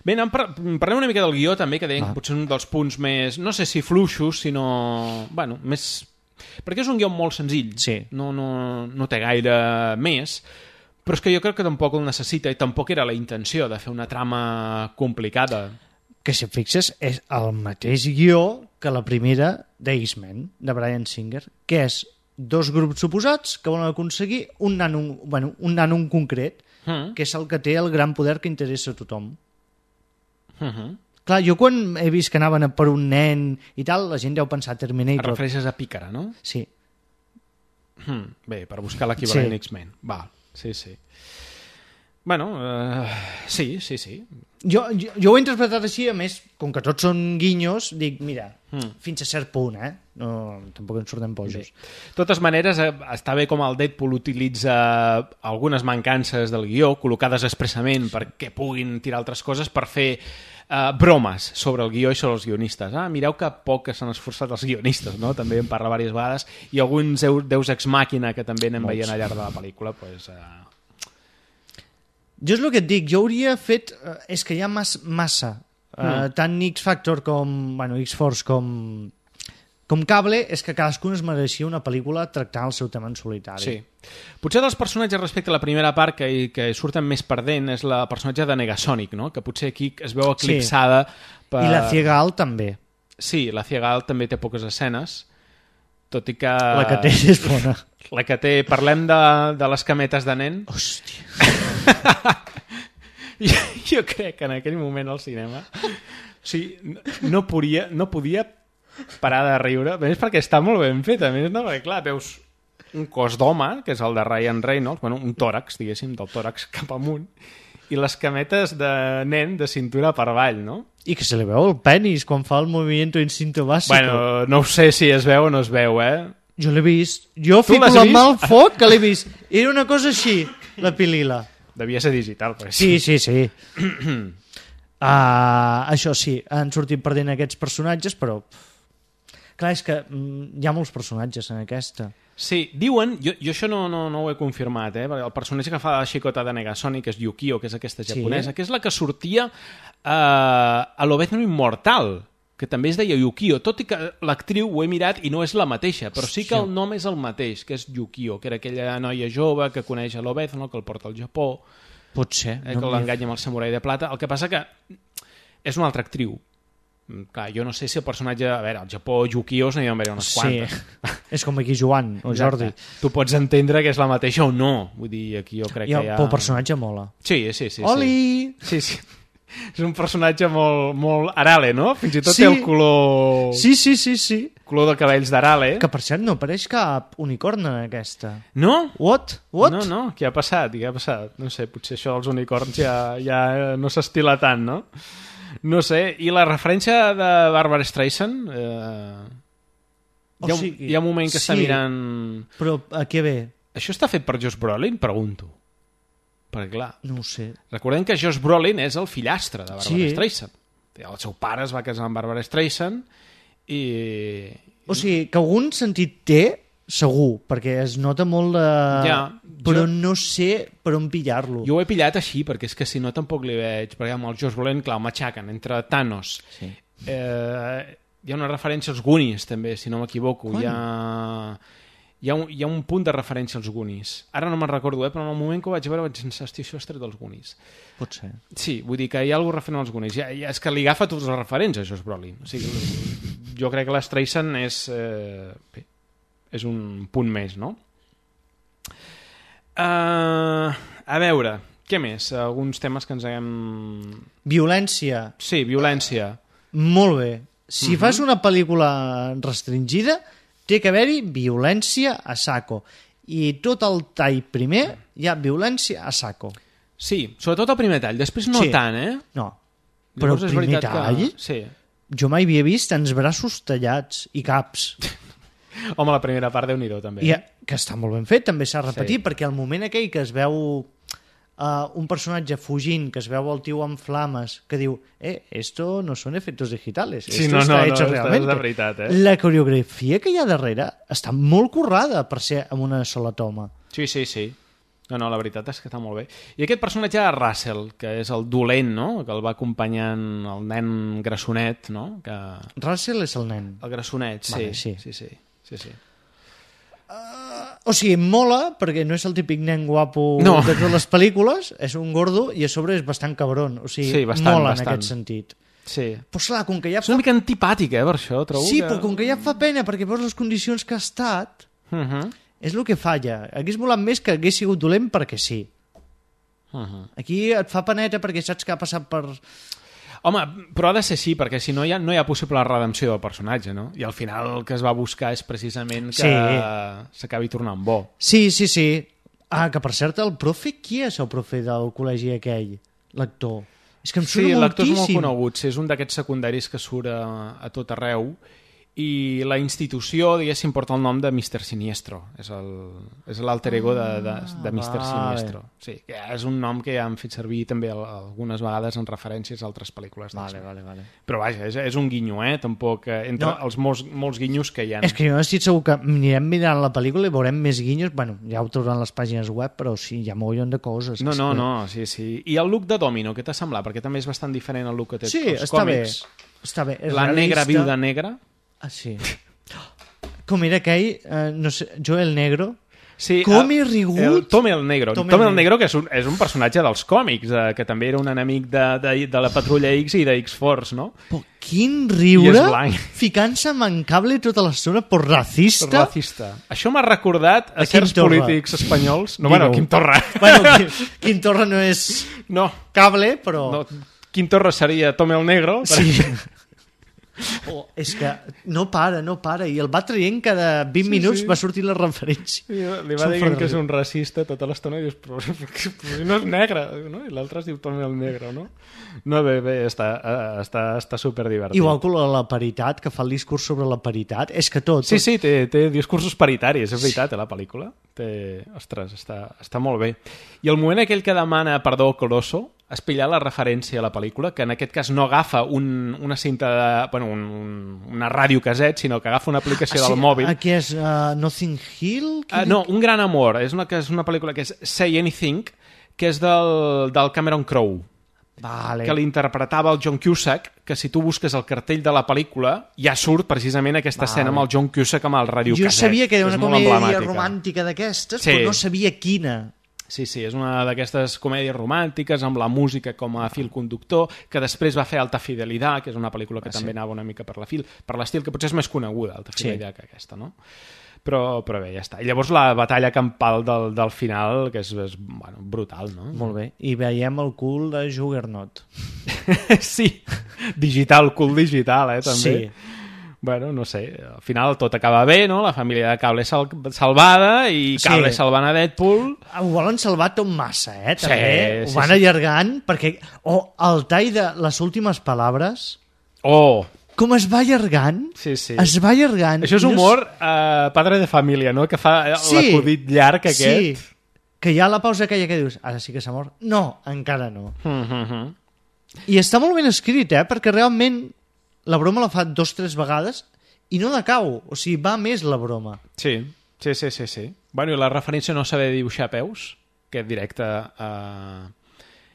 Bé, anem par parlem una mica del guió, també, que deien ah. que potser un dels punts més, no sé si fluixos, sinó... bueno, més... perquè és un guió molt senzill. Sí. No, no, no té gaire més, però és que jo crec que tampoc el necessita, i tampoc era la intenció de fer una trama complicada. Que si et fixes és el mateix guió que la primera d'X-Men, de Bryan Singer, que és dos grups oposats que volen aconseguir un nano, bueno, un nano en concret, mm. que és el que té el gran poder que interessa a tothom. Uh -huh. Clar, jo quan he vist que anaven per un nen i tal, la gent deu pensar Terminator. Et refereixes a Pícara, no? Sí. Hmm. Bé, per buscar l'equivalent sí. X-Men. Va, sí, sí. Bueno, uh, sí, sí, sí. Jo, jo, jo ho he interpretat així, a més, com que tots són guinyos, dic, mira, mm. fins a cert punt, eh? No, tampoc ens sortem bojos. De totes maneres, està bé com el Deadpool utilitza algunes mancances del guió, col·locades expressament perquè puguin tirar altres coses per fer uh, bromes sobre el guió i sobre els guionistes. Ah, mireu que poc que s'han esforçat els guionistes, no? També en parla diverses vegades, i alguns deus ex màquina que també anem veient al llarg de la pel·lícula, doncs... Uh... Jo és el que et dic, jo hauria fet... Uh, és que hi ha mas, massa. Uh, mm. Tant X-Factor com... Bueno, X-Force com... Com Cable, és que cadascun es mereixia una pel·lícula tractant el seu tema en solitari. Sí. Potser dels personatges respecte a la primera part que, que surten més perdent és la personatge de Negasonic, no? Que potser aquí es veu eclipsada sí. per... I la Ciegal també. Sí, la Ciegal també té poques escenes, tot i que... La que té és bona. La que té... Parlem de, de les cametes de nen. Hòstia. jo, jo crec que en aquell moment al cinema... O sigui, no, no podia... No podia parar de riure, a més perquè està molt ben fet, a més, no? Perquè clar, veus un cos d'home, que és el de Ryan Reynolds, bueno, un tòrax, diguéssim, del tòrax cap amunt, i les cametes de nen de cintura per avall, no? I que se li veu el penis quan fa el movimiento instinto básico. Bueno, no ho sé si es veu o no es veu, eh? Jo l'he vist. Jo fico la mà al foc que l'he vist. Era una cosa així, la pilila. Devia ser digital, però sí. Sí, sí, sí. uh, això sí, han sortit perdent aquests personatges, però... Clar, és que mm, hi ha molts personatges en aquesta. Sí, diuen, jo, jo això no, no, no ho he confirmat, eh? El personatge que fa la xicota de Negasonic, que és Yukio, que és aquesta japonesa, sí. Que és la que sortia uh, a l'Obezno Immortal, que també es deia Yukio, tot i que l'actriu ho he mirat i no és la mateixa, però sí que el nom és el mateix, que és Yukio, que era aquella noia jove que coneix a l'Obezno, que el porta al Japó. Pot ser. Eh, que no l'enganya amb el samurai de plata. El que passa que és una altra actriu. Clar, jo no sé si el personatge... A veure, al Japó, Yukios n'hi ha d'haver unes quantes. Sí, és com aquí Joan o Jordi. Tu pots entendre que és la mateixa o no. Vull dir, aquí jo crec I el, que hi ha... Però el personatge mola. Sí, sí, sí. Oli! Sí, sí. És un personatge molt, molt Arale, no? Fins i tot sí. té el color... Sí, sí, sí, sí. Color de cabells d'Arale. Que per cert no apareix cap unicorn en aquesta. No? What? What? No, no, què ha passat? Què ha passat? No sé, potser això dels unicorns ja, ja no s'estila tant, no? No sé, i la referència de Barbara Streisand eh... hi, ha un, sigui, hi ha un moment que sí, està mirant... Però a què ve? Això està fet per Josh Brolin? Pregunto. Perquè clar... No ho sé. Recordem que Josh Brolin és el fillastre de Barbara sí. Streisand. El seu pare es va casar amb Barbara Streisand i... O sigui, que algun sentit té, segur, perquè es nota molt de... Ja, però jo... no sé per on pillar-lo. Jo ho he pillat així, perquè és que si no tampoc li veig, perquè amb el Josh Brolin, clar, el matxaquen entre Thanos. Sí. Eh, hi ha una referència als Goonies, també, si no m'equivoco. Hi ha... Hi ha, un, hi ha un punt de referència als Goonies. Ara no me'n recordo, eh, però en el moment que ho vaig veure vaig pensar, hosti, això és tret dels Goonies. Pot ser. Sí, vull dir que hi ha alguna referent als Goonies. Ja, ja, és que li agafa tots els referents a Josh Brolin. O sigui, jo crec que l'Streisand és... Eh, bé, és un punt més, no? Uh, a veure, què més? Alguns temes que ens haguem... Violència. Sí, violència. Molt bé. Si uh-huh. fas una pel·lícula restringida, té que haver-hi violència a saco. I tot el tall primer hi ha violència a saco. Sí, sobretot el primer tall. Després no sí. tant, eh? No. Però el primer tall... Que... Sí. Jo mai havia vist tants braços tallats i caps. Home, la primera part, Déu-n'hi-do, també. I, que està molt ben fet, també s'ha repetit, sí. perquè el moment aquell que es veu uh, un personatge fugint, que es veu el tio amb flames, que diu, eh, esto no son efectos digitales, sí, esto no, está no, hecho no, realmente. És de veritat, eh? La coreografia que hi ha darrere està molt currada per ser amb una sola toma. Sí, sí, sí. No, no, la veritat és que està molt bé. I aquest personatge de Russell, que és el dolent, no?, que el va acompanyant el nen grassonet, no? Que... Russell és el nen. El grassonet, sí. Vale, sí. Sí, sí, sí, sí. Uh, o sigui, mola, perquè no és el típic nen guapo no. de totes les pel·lícules, és un gordo i a sobre és bastant cabron. O sigui, sí, bastant, mola bastant. en aquest sentit. Sí. Però clar, com que ja és una mica antipàtica, eh, per això, trobo. Sí, que... però com que ja fa pena, perquè veus les condicions que ha estat... Uh-huh. És el que falla. Hagués volat més que hagués sigut dolent perquè sí. Uh-huh. Aquí et fa peneta perquè saps que ha passat per... Home, però ha de ser així, perquè si no hi ha, no hi ha possible redempció del personatge, no? I al final el que es va buscar és precisament que s'acabi sí. tornant bo. Sí, sí, sí. Ah, que per cert, el profe, qui és el profe del col·legi aquell? L'actor. És que em surt sí, moltíssim. Sí, l'actor és molt conegut. Sí, és un d'aquests secundaris que surt a, a tot arreu i la institució, diguéssim, porta el nom de mister Siniestro. És l'alter ego de, de, de mister Ah, Siniestro. Sí, que és un nom que ja han fet servir també algunes vegades en referències a altres pel·lícules. Vale, vale, vale. Però vaja, és, és un guinyo, eh? Tampoc, eh, entre No. els molts, molts guinyos que hi ha. És que jo estic segur que anirem mirant la pel·lícula i veurem més guinyos. Bueno, ja ho trobaran les pàgines web, però sí, hi ha mogollon de coses. No, És no, que- no, sí, sí. I el look de Domino, què t'ha semblat? Perquè també és bastant diferent el look que té Sí, els està bé. còmics. Està bé. És La negra realista. viuda negra. Ah, sí. Com era aquell, eh, no sé, Joel Negro? Sí, Com el- he rigut? El Tom el Negro. Tom Tom, el el Negro, que és un, és un personatge dels còmics, eh, que també era un enemic de, de, de la Patrulla X i de X-Force, no? Però quin I riure és blanc. ficant-se amb en cable tota l'estona por racista. Racista. Això m'ha recordat a, A Quim certs Torra. polítics espanyols. No, Digue-ho. bueno, Quim Torra. Bueno, Quim, Quim Torra no és No, cable, però... no. Quim Torra seria Tom el Negro. Sí. Oh, és que no para, no para. I el va traient cada vint Sí, minuts sí. va sortir la referència. I li va Són dient fora que és de un racista tota l'estona i dius, però, però si no és negre, no? I l'altre es diu Tom el Negro, no? No, bé, bé, està, eh, està, està superdivertit. Igual que la paritat, que fa el discurs sobre la paritat. És que tot... Sí, tot... sí, té, té discursos paritaris, és veritat, eh, la pel·lícula. Té... Ostres, està, està molt bé. I el moment aquell que demana perdó Colosso, has pillat la referència a la pel·lícula, que en aquest cas no agafa un, una cinta, de, bueno, un, un, una ràdio-caset, sinó que agafa una aplicació Ah, sí, del mòbil. Aquí és uh, Nothing Hill? Uh, no, Un gran amor. És una, que és una pel·lícula que és Say Anything, que és del, del Cameron Crowe, Vale. que l'interpretava el John Cusack, que si tu busques el cartell de la pel·lícula ja surt precisament aquesta Vale. escena amb el John Cusack amb el ràdio-caset. Jo sabia que era És una molt comèdia emblemàtica. romàntica d'aquestes, Sí. però no sabia quina. Sí, sí, és una d'aquestes comèdies romàntiques amb la música com a fil conductor, que després va fer Alta Fidelidad, que és una pel·lícula que Ah, també sí. anava una mica per la fil, per l'estil que potser és més coneguda, Alta Sí. Fidelidad, que aquesta, no? Però, però bé, ja està. I llavors la batalla campal del, del final, que és, és bueno, brutal, no? Molt bé. I veiem el cul de Juggernaut. Sí, digital, cul digital, eh, també. Sí. Bueno, no sé, al final tot acaba bé, no? La família de Cable sal salvada i Cable Sí. salvant a Deadpool. Ho volen salvar tot massa, eh? Sí, També. sí, Ho van sí. allargant, perquè... O oh, el tall de les últimes paraules... Oh! Com es va allargant? Sí, sí. Es va allargant. Això és I no humor eh, padre de família, no? Que fa Sí. l'acudit llarg aquest. Sí, que hi ha la pausa aquella que dius, ara sí que s'ha mort. No, encara no. Mm -hmm. I està molt ben escrit, eh? Perquè realment la broma la fa dos o tres vegades i no decau. O sigui, va més la broma. Sí, sí, sí, sí, sí. Bueno, i la referència a no saber dibuixar peus, que directe... Eh...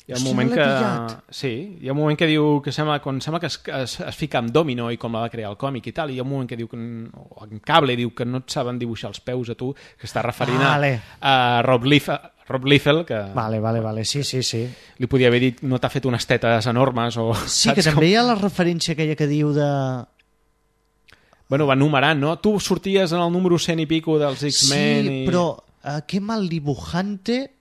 Hi ha un Hòstia, moment no que... l'he pillat. Sí, hi ha un moment que diu que sembla, quan sembla que es, es, es fica amb Domino i com la va crear el còmic i tal, i hi ha un moment que diu que en, o en Cable diu que no et saben dibuixar els peus a tu, que està referint Vale. a, a Rob Liefeld, Rob Liefeld, que Vale, vale, vale. Sí, sí, sí. li podia haver dit no t'ha fet unes tetes enormes o... Sí, que saps també com- hi ha la referència aquella que diu de... Bueno, va numerant, no? Tu sorties en el número cent i pico dels X-Men Sí, i... però uh, que mal dibujante...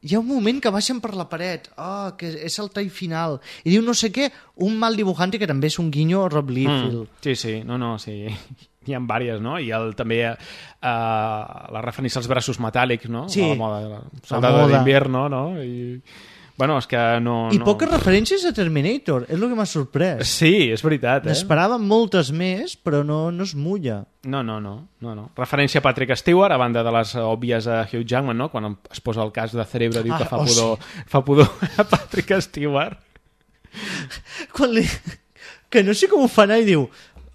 Hi ha un moment que baixen per la paret, oh, que és el tall final, i diu no sé què, un mal dibujante que també és un guinyo a Rob Liefeld. Mm, sí, sí, no, no, sí. Hi ha diverses, no? I el, també uh, la referència als braços metàl·lics, no? Sí. A la moda, la La soldado moda. d'invierno, no? I... Bueno, és que no... I no... poques referències a Terminator, és el que m'ha sorprès. Sí, és veritat, eh? N'esperava moltes més, però no, no es mulla. No, no, no, no, no. Referència a Patrick Stewart, a banda de les òbvies a Hugh Jackman, no? Quan es posa el cas de Cerebro diu Ah, que fa oh, pudor, fa pudor a Patrick Stewart. Quan li... Que no sé com ho fa anar i diu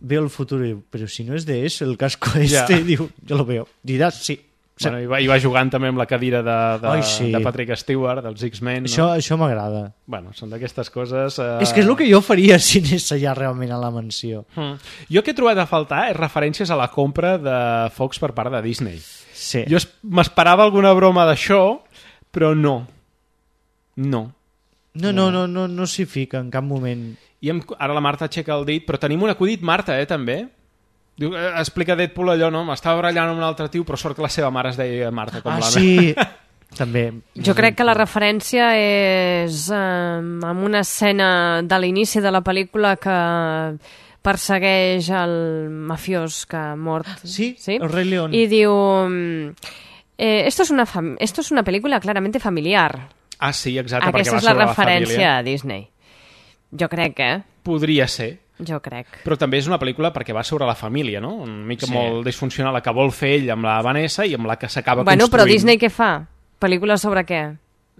veo el futuro, i diu, però si no és de eso el casco este, Ja. i diu, jo lo veo. Diràs, sí. Bueno, i, va, I va jugant també amb la cadira de, de, Ai, sí. de Patrick Stewart, dels X-Men. Això, No? això m'agrada. Bueno, són d'aquestes coses... Eh... És que és el que jo faria si anés allà realment a la mansió. Mm. Jo el que he trobat a faltar és referències a la compra de Fox per part de Disney. Sí. Jo es- m'esperava alguna broma d'això, però no. No. No, no, no, no, no s'hi fica en cap moment. I em, ara la Marta aixeca el dit, però tenim un acudit Marta, eh, també. Diu, eh, explica Deadpool allò, no? M'estava barallant amb un altre tio, però sort que la seva mare es deia Marta. Com Ah, la sí, també. Jo crec que la referència és eh, amb una escena de l'inici de la pel·lícula que persegueix el mafiós que ha mort. Sí, ¿sí? el Rei León. I diu... Eh, esto, es una fam esto es una película claramente familiar. Ah, sí, exacte, Aquesta perquè va és la sobre referència la família. a Disney. Jo crec, eh? Podria ser, Jo crec. Però també és una pel·lícula perquè va sobre la família, no? Una mica Sí. molt disfuncional, la que vol fer ell amb la Vanessa i amb la que s'acaba Bueno, construint. però Disney què fa? Pel·lícules sobre què?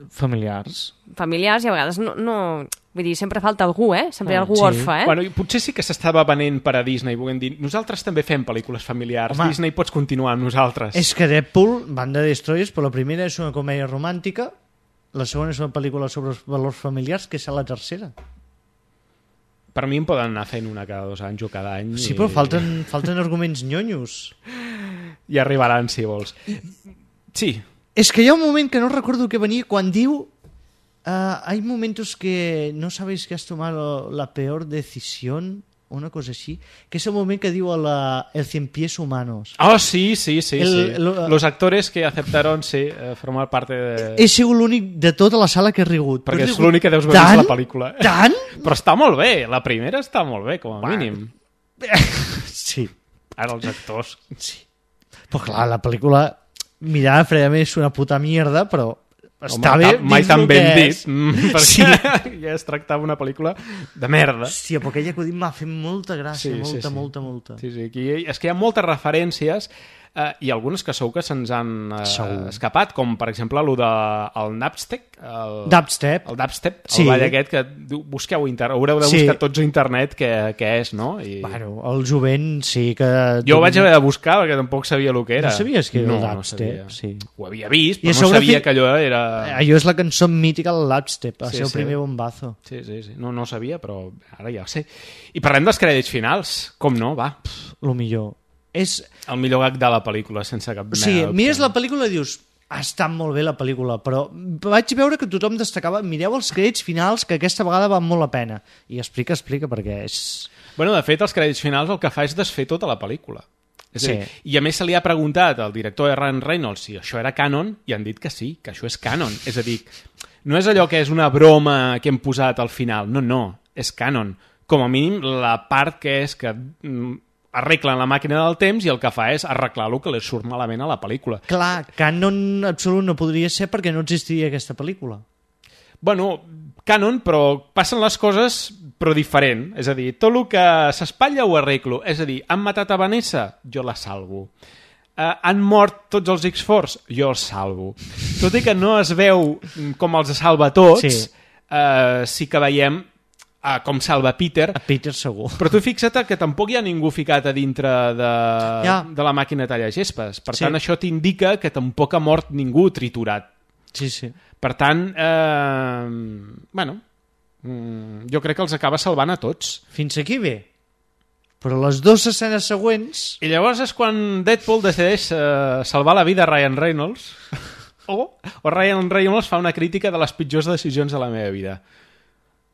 Familiars. Familiars i a vegades no... no... Vull dir, sempre falta algú, eh? Sempre hi ha algú Sí. orfe, eh? Bueno, i potser sí que s'estava venent per a Disney, volent dir, nosaltres també fem pel·lícules familiars, Home, Disney pots continuar amb nosaltres. És que Deadpool, Band de Destroyers, però la primera és una comèdia romàntica, la segona és una pel·lícula sobre els valors familiars, que és la tercera. Per mi em poden anar fent una cada dos anys o cada any. Sí, i... però falten, falten arguments nyonyos. I arribaran, si vols. Sí. És que hi ha un moment que no recordo què venia quan diu uh, hay momentos que no sabes que has tomado la peor decisión, una cosa així, que és el moment que diu a la, el cien pies humanos. Oh, sí, sí, sí. El- sí. lo- Los actores que aceptaron, sí, eh, formar parte de... He sigut l'únic de tota la sala que he rigut. Perquè Però he és rigut l'únic que deus haver tant, vist la pel·lícula. Tant? Però està molt bé, la primera està molt bé, com a Bueno. mínim. Sí. Ara els actors... Sí. Però clar, la pel·lícula, mirada fredament, és una puta mierda, però està Home, bé. ta- mai dins tan lo ben que dit, és. mm, perquè Sí. ja es tractava una pel·lícula de merda. Hòstia, però aquell acudit m'ha fet molta gràcia, Sí, sí, molta, sí. molta, molta. Sí, sí, aquí, és que hi ha moltes referències eh, i algunes que segur que se'ns han eh, Segur. escapat, com per exemple el de el Napstep, el, Dubstep. el Dubstep, el Sí. ball aquest que diu, busqueu a internet, haureu de Sí. buscar tots a internet què, què és, no? I... Bueno, el jovent sí que... Jo ho vaig haver de buscar perquè tampoc sabia el que era. No sabies que era no, el no dubstep? sabia. Sí. Ho havia vist, I però a no sobre sabia fi- que allò era... Allò és la cançó mítica del Dubstep, el Sí, seu sí. primer bombazo. Sí, sí, sí. No, no ho sabia, però ara ja ho sé. I parlem dels crèdits finals. Com no, va. Lo millor. És... El millor gag de la pel·lícula, sense cap O sigui, mena de mires dubte. la pel·lícula i dius ha estat molt bé la pel·lícula, però vaig veure que tothom destacava, mireu els crèdits finals que aquesta vegada van molt la pena. I explica, explica, perquè és... Bueno, de fet, els crèdits finals el que fa és desfer tota la pel·lícula. És Sí. a dir, I a més se li ha preguntat al director Ryan Reynolds si això era canon i han dit que sí, que això és canon. És a dir, no és allò que és una broma que hem posat al final. No, no, és canon. Com a mínim la part que és que mm, arreglen la màquina del temps i el que fa és arreglar el que li surt malament a la pel·lícula. Clar, canon absolut no podria ser perquè no existiria aquesta pel·lícula. Bueno, canon, però passen les coses però diferent. És a dir, tot el que s'espatlla ho arreglo. És a dir, han matat a Vanessa? Jo la salvo. Uh, han mort tots els X-Force? Jo els salvo. Tot i que no es veu com els salva tots, Sí. uh, sí que veiem uh, com salva Peter. A Peter segur. Però tu fixa't que tampoc hi ha ningú ficat a dintre de, Ja. de la màquina tallagespes. Per Sí. tant, això t'indica que tampoc ha mort ningú triturat. Sí, sí. Per tant, eh, bueno, mm, jo crec que els acaba salvant a tots. Fins aquí bé. Però les dues escenes següents... I llavors és quan Deadpool decideix eh, salvar la vida a Ryan Reynolds o, o Ryan Reynolds fa una crítica de les pitjors decisions de la meva vida.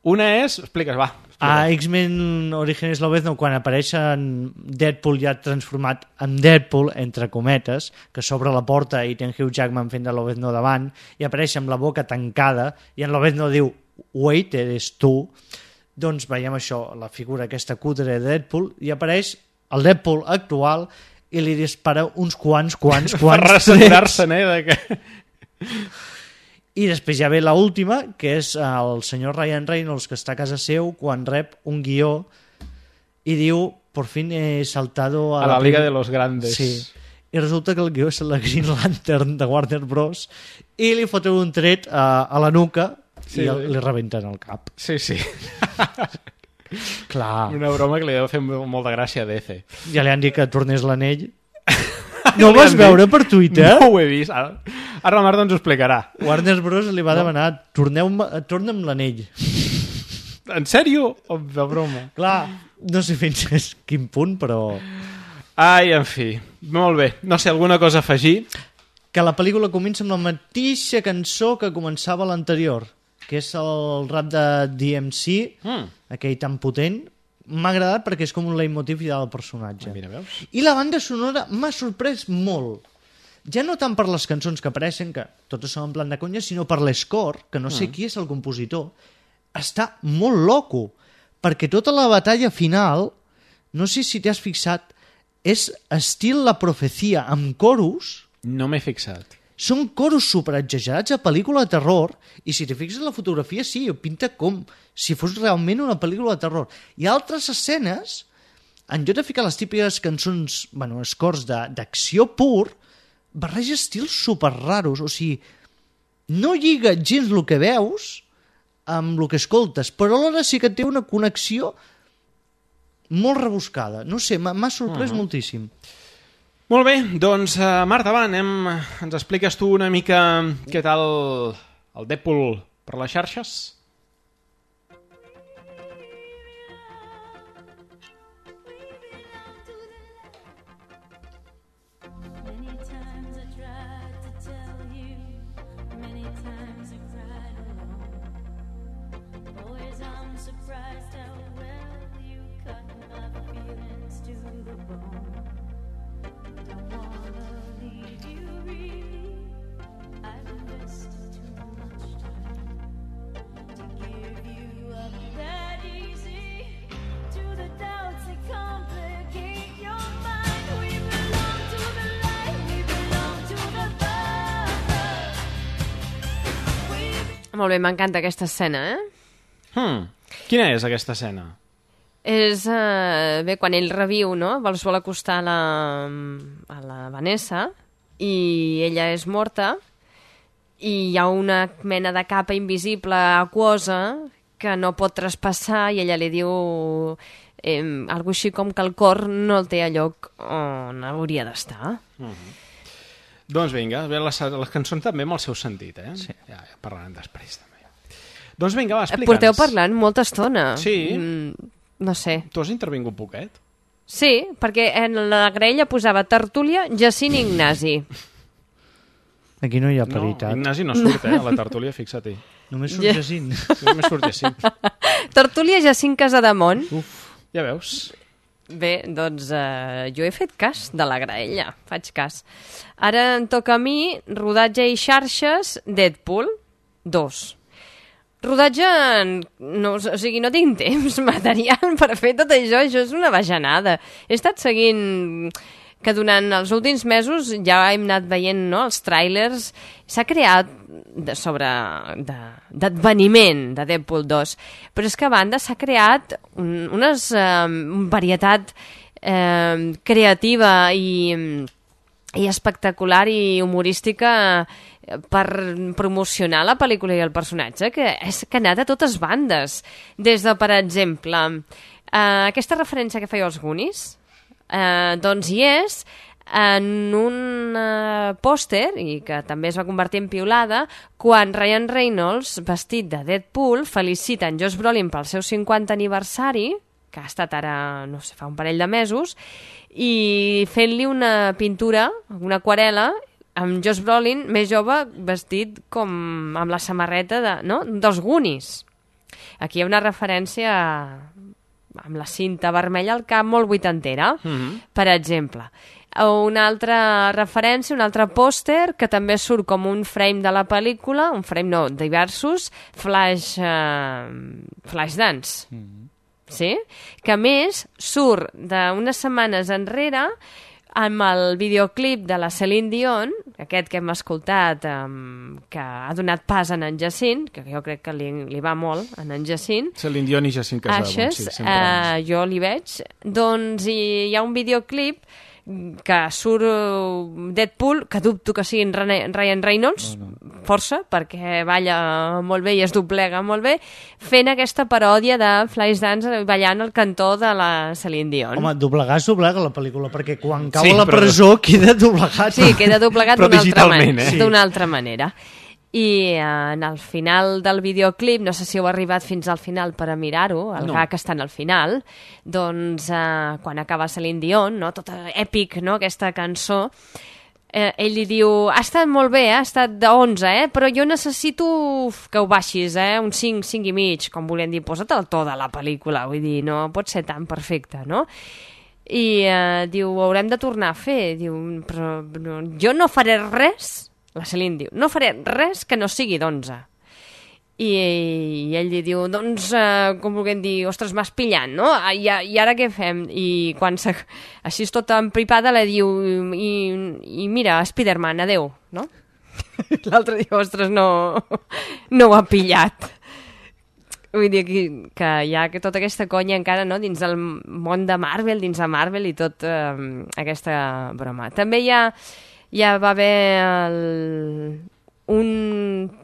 Una és... Expliques, va. A X-Men Orígenes Lobezno, quan apareixen Deadpool ja transformat en Deadpool, entre cometes, que s'obre la porta i té en Hugh Jackman fent de Lobezno davant, i apareix amb la boca tancada, i en Lobezno diu, wait, eres tu, doncs veiem això, la figura aquesta cutre de Deadpool, i apareix el Deadpool actual i li dispara uns quants, quants, Per quants... rassegurar-se'n, eh? De que... I després ja ve l'última, que és el senyor Ryan Reynolds, que està a casa seu, quan rep un guió i diu, por fin he saltado a, A la Liga de los Grandes. Sí. I resulta que el guió és la Green Lantern de Warner Bros. I li foten un tret a, a la nuca Sí. i el, li rebenten el cap. Sí, sí. Clar. Una broma que li deu fer molta gràcia a D C. Ja li han dit que tornés l'anell. No ho vas veure per Twitter? No ho he vist. Ara, ara la Marta ens ho explicarà. Warner Bros. Li va demanar, torneu torna'm l'anell. En sèrio? O de broma? Clar, no sé fins a quin punt, però... Ai, en fi. Molt bé. No sé, alguna cosa a afegir? Que la pel·lícula comença amb la mateixa cançó que començava l'anterior, que és el rap de D M C, Mm. aquell tan potent. M'ha agradat perquè és com un leitmotiv del personatge. Mira, veus? I la banda sonora m'ha sorprès molt. Ja no tant per les cançons que apareixen, que totes són en plan de conya, sinó per l'escore, que no sé Mm. qui és el compositor. Està molt loco, perquè tota la batalla final, no sé si t'has fixat, és estil La Profecia, amb coros. No m'he fixat. són coros superexagerats a pel·lícula de terror, i si t'hi fixes la fotografia, sí, pinta com si fos realment una pel·lícula de terror. Hi ha altres escenes, en lloc de ficar les típiques cançons, bueno, escors d'acció pur, barreja estils super raros, o sigui, no lliga gens el que veus amb el que escoltes, però alhora sí que té una connexió molt rebuscada. No sé, m'ha sorprès uh-huh. moltíssim. Molt bé, doncs uh, Marta, va, anem, ens expliques tu una mica què tal el Deadpool per les xarxes? Molt bé, m'encanta aquesta escena, eh? Hmm. Quina és aquesta escena? És, uh, bé, quan ell reviu, no? Es vol acostar a la, a la Vanessa i ella és morta i hi ha una mena de capa invisible aquosa que no pot traspassar i ella li diu eh, algo així com que el cor no el té a lloc on hauria d'estar. Uh-huh. Doncs vinga, les, les cançons també amb el seu sentit, eh? Sí. Ja, ja parlarem després, també. Doncs vinga, va, explica'ns. Porteu parlant molta estona. Sí. Mm, no sé. Tu has intervingut poquet? Sí, perquè en la graella posava Tertúlia, Jacint i Ignasi. Aquí no hi ha paritat. No, Ignasi no surt, eh, a la tertúlia, fixa-t'hi. Només surt Jacint. Només surt Jacint. Tertúlia, Jacint Casademont. Uf, ja veus. Bé, doncs uh, jo he fet cas de la graella, faig cas. Ara em toca a mi rodatge i xarxes Deadpool dos. Rodatge, no, o sigui, no tinc temps material per fer tot això, això és una bajanada. He estat seguint que durant els últims mesos ja hem anat veient, no, els tràilers, s'ha creat de, sobre d'adveniment de, de Deadpool dos, però és que a banda s'ha creat un, unes eh, varietat eh, creativa i, i espectacular i humorística per promocionar la pel·lícula i el personatge, que és que ha anat a totes bandes. Des de, per exemple, eh, aquesta referència que feia als Goonies, eh, doncs hi és en un uh, pòster, i que també es va convertir en piulada, quan Ryan Reynolds, vestit de Deadpool, felicita en Josh Brolin pel seu cinquanta aniversari, que ha estat ara, no sé, fa un parell de mesos, i fent-li una pintura, una aquarel·la, amb Josh Brolin, més jove, vestit com amb la samarreta de, no? dels Goonies. Aquí hi ha una referència amb la cinta vermella al cap molt vuitantera, mm-hmm. per exemple. Una altra referència, un altre pòster que també surt com un frame de la pel·lícula, un frame no, diversos, Flash, uh, Flashdance. Mm-hmm. Sí? Que a més surt d'unes setmanes enrere amb el videoclip de la Celine Dion, aquest que hem escoltat, um, que ha donat pas a en Jacint, que jo crec que li, li va molt a en Jacint. Celine Dion i Jacint Casademont, sí, sempre. Uh, jo li veig. Doncs hi, hi ha un videoclip que surt Deadpool, que dubto que sigui Ryan Reynolds, no, no. força, perquè balla molt bé i es doblega molt bé, fent aquesta paròdia de Flashdance ballant al cantó de la Celine Dion. Home, doblegar és doblegar la pel·lícula, perquè quan cau sí, a la però... presó queda doblegat. Sí, queda doblegat d'una altra, man eh? sí. altra manera. I en el final del videoclip, no sé si heu arribat fins al final per a mirar-ho, el no. gag està al final, doncs eh, quan acaba Celine Dion, no? tot èpic, no? aquesta cançó, eh, ell li diu, ha estat molt bé, eh? ha estat d'onze, eh? però jo necessito que ho baixis, eh? un cinc, cinc i mig, com volien dir, posa't el to de la pel·lícula, vull dir, no pot ser tan perfecte, no? I eh, diu, ho haurem de tornar a fer, diu, però no, jo no faré res. La Celine diu, no faré res que no sigui d'onze. I, I ell li diu, doncs, eh, com vulguem dir, ostres, m'has pillant, no? I, I ara què fem? I quan se, així és tota empripada, li diu, i, i mira, Spiderman, adeu, no? L'altre dia, ostres, no, no ho ha pillat. Vull dir que, que hi ha tota aquesta conya encara, no?, dins del món de Marvel, dins de Marvel i tot eh, aquesta broma. També hi ha, ja va haver el, un,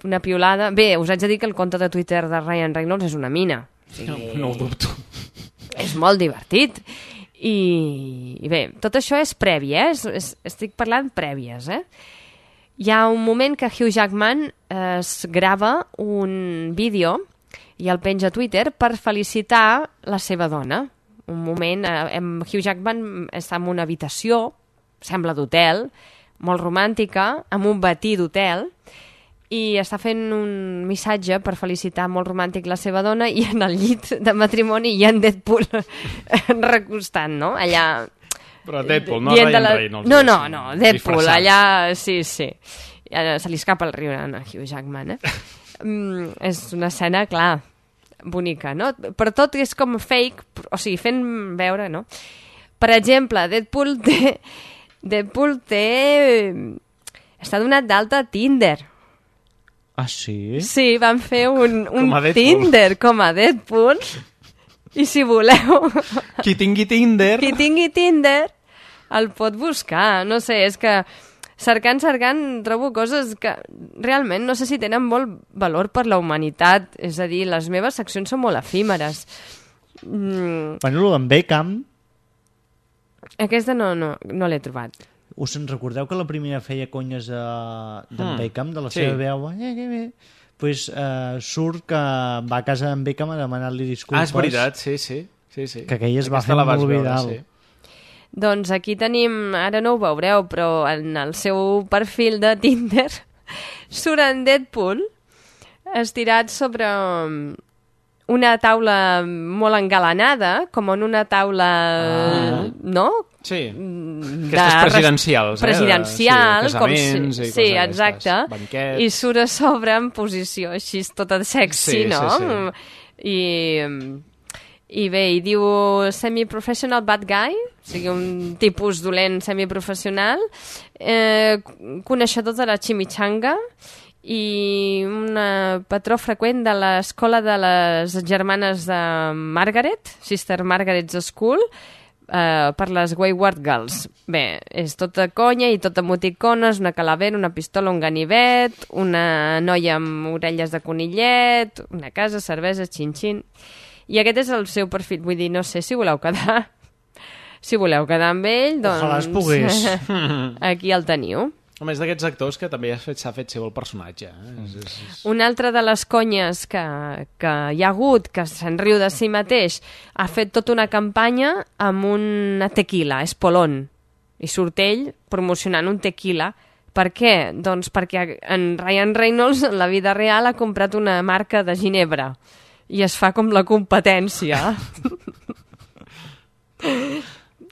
una piolada... Bé, us haig de dir que el compte de Twitter de Ryan Reynolds és una mina. O sigui, no, no ho dubto. És molt divertit. I, i bé, tot això és previ, eh? És, és, estic parlant prèvies, eh? Hi ha un moment que Hugh Jackman eh, es grava un vídeo i el penja a Twitter per felicitar la seva dona. Un moment, eh, Hugh Jackman està en una habitació, sembla d'hotel, molt romàntica, amb un batí d'hotel, i està fent un missatge per felicitar molt romàntic la seva dona, i en el llit de matrimoni hi ha en Deadpool recostant, no? Allà... Però Deadpool, no Ryan la... Reynolds. No, no, no, Deadpool, disfressat. Allà... Sí, sí. Se li escapa el riure a Hugh Jackman, eh? Mm, és una escena, clar, bonica, no? Però tot és com fake, o sigui, fent veure, no? Per exemple, Deadpool té... Deadpool té... Està donat d'alta a Tinder. Ah, sí? Sí, van fer un, un Tinder com a Deadpool. I si voleu... Qui tingui Tinder... Qui tingui Tinder el pot buscar. No sé, és que... Cercant, cercant, trobo coses que realment no sé si tenen molt valor per la humanitat. És a dir, les meves seccions són molt efímeres. Mm. Bueno, en Beckham... Aquesta no, no, no l'he trobat. Us en recordeu que la primera feia conyes de, d'en mm. Beckham, de la sí. seva veu? Eh, eh, eh. Pues, uh, surt que va a casa d'en Beckham a demanar-li disculpes. Ah, és veritat, sí, sí. sí, sí. Que aquell es va fer molt viral. Sí. Doncs aquí tenim, ara no ho veureu, però en el seu perfil de Tinder surt en Deadpool estirat sobre una taula molt engalanada, com en una taula, ah. no? Sí, aquestes presidencials. Presidencial, eh? Sí, casaments com si... i sí, coses exacte. Banquets. I surt a sobre en posició així tota sexy, sí, no? Sí, sí. I... I bé, hi diu semi-professional bad guy, o sigui, un tipus dolent semiprofessional, eh, coneixedor de la chimichanga i un patró freqüent de l'escola de les germanes de Margaret, Sister Margaret's School, eh, per les Wayward Girls. Bé, és tota conya i tota emoticones, una calavera, una pistola, un ganivet, una noia amb orelles de conillet, una casa, cervesa, xin-xin... I aquest és el seu perfil, vull dir, no sé si voleu quedar... Si voleu quedar amb ell, doncs... Ojalà es pogués. Aquí el teniu. A més d'aquests actors que també s'ha fet, fet seu el personatge. Eh? És, és, és... Una altra de les conyes que, que hi ha hagut, que se'n riu de si mateix, ha fet tota una campanya amb una tequila, Espolón. I surt ell promocionant un tequila. Per què? Doncs perquè en Ryan Reynolds, en la vida real, ha comprat una marca de ginebra. I es fa com la competència.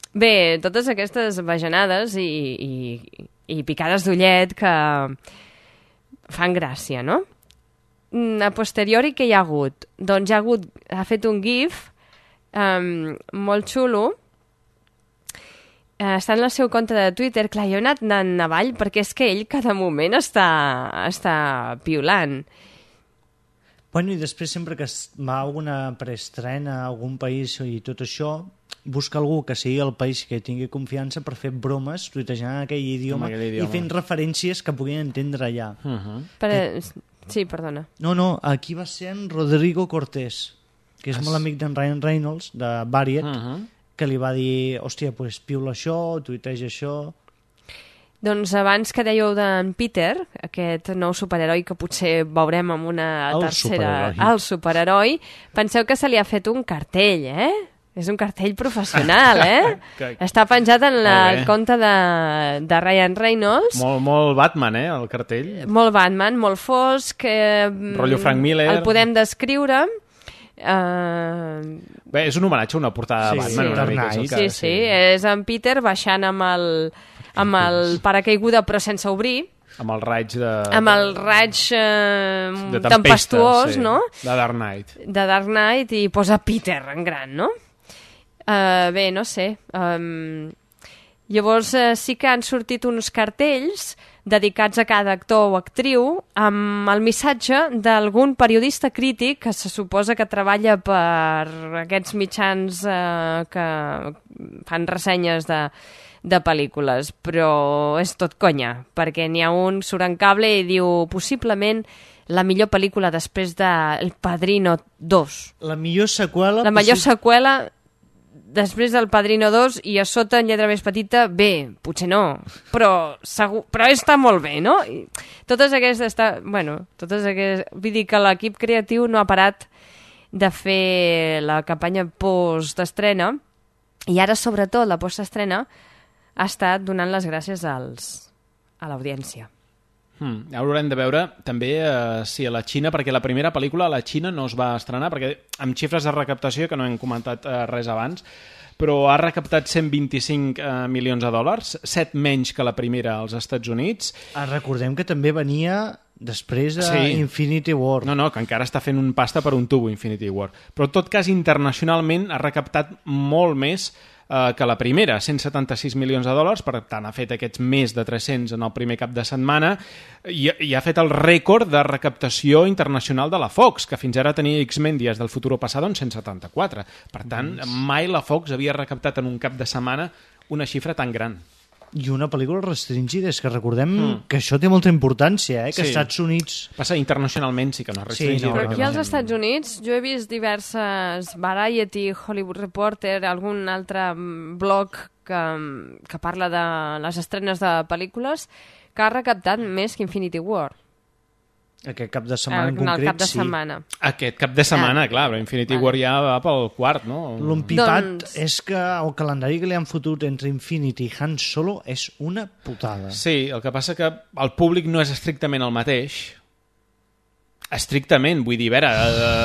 Bé, totes aquestes bajanades i, i, i picades d'ullet que fan gràcia, no? A posteriori, què hi ha hagut? Doncs hi ha hagut, ha fet un gif um, molt xulo. Uh, està en el seu compte de Twitter. Clar, jo he anat anant avall perquè és que ell cada moment està, està piulant. Bueno, i després sempre que va a alguna preestrena a algun país i tot això, busca algú que sigui el país que tingui confiança per fer bromes, tuitejant en aquell idioma, aquell idioma i fent referències que puguin entendre allà. Uh-huh. Per... Que... Sí, perdona. No, no, aquí va ser en Rodrigo Cortés, que és es... molt amic d'en Ryan Reynolds, de Variet, uh-huh. que li va dir, hòstia, pues, piula això, tuiteja això... Doncs abans que dèieu d'en Peter, aquest nou superheroi que potser veurem amb una el tercera... Superheroi. El superheroi. Penseu que se li ha fet un cartell, eh? És un cartell professional, eh? que... Està penjat en la, el compte de, de Ryan Reynolds. Molt, molt Batman, eh, el cartell. Molt Batman, molt fosc. Eh, Rotllo Frank Miller. El podem descriure. Uh... Bé, és un homenatge a una portada sí, de Batman. Sí, una mica, sí, que... sí, sí, és en Peter baixant amb el... amb el paracaiguda però sense obrir, amb el raig de... amb el raig eh, de tempesta, tempestuós, sí, no? De Dark Knight. De Dark Knight i posa Peter en gran, no? Uh, bé, no sé. Um, Llavors eh, sí que han sortit uns cartells dedicats a cada actor o actriu amb el missatge d'algun periodista crític que se suposa que treballa per aquests mitjans eh, que fan ressenyes de, de pel·lícules, però és tot conya, perquè n'hi ha un surt en cable i diu possiblement la millor pel·lícula després de El Padrino dos. La millor seqüela... La millor seqüela després del Padrino dos i a sota en lletra més petita, bé, potser no, però, segur, però està molt bé, no? I totes aquestes... Està, bueno, totes aquestes... Vull dir que l'equip creatiu no ha parat de fer la campanya post-estrena i ara, sobretot, la post-estrena ha estat donant les gràcies als, a l'audiència. Hmm. Ara haurem de veure també eh, si a la Xina, perquè la primera pel·lícula a la Xina no es va estrenar, perquè amb xifres de recaptació, que no hem comentat eh, res abans, però ha recaptat cent vint-i-cinc eh, milions de dòlars, set menys que la primera als Estats Units. Ah, recordem que també venia després de sí. Infinity War. No, no, que encara està fent un pasta per un tubo Infinity War. Però en tot cas, internacionalment ha recaptat molt més eh, que la primera, cent setanta-sis milions de dòlars, per tant ha fet aquests més de tres-cents en el primer cap de setmana i, i ha fet el rècord de recaptació internacional de la Fox, que fins ara tenia X-Men Dies del Futuro Pasado en cent setanta-quatre. Per tant, mai la Fox havia recaptat en un cap de setmana una xifra tan gran. I una pel·lícula restringida, és que recordem mm. que això té molta importància, eh? Que sí. als Estats Units... Passa internacionalment, sí que no és restringida. Sí, no, Però aquí als Estats Units jo he vist diverses Variety, Hollywood Reporter, algun altre blog que, que parla de les estrenes de pel·lícules que ha recaptat més que Infinity War. Aquest cap de setmana en no, concret, cap de sí. setmana. Aquest cap de setmana, ah. clar, però Infinity vale. War ja va pel quart, no? L'empipat doncs... és que el calendari que li han fotut entre Infinity i Han Solo és una putada. Sí, el que passa que el públic no és estrictament el mateix. Estrictament, vull dir, a veure,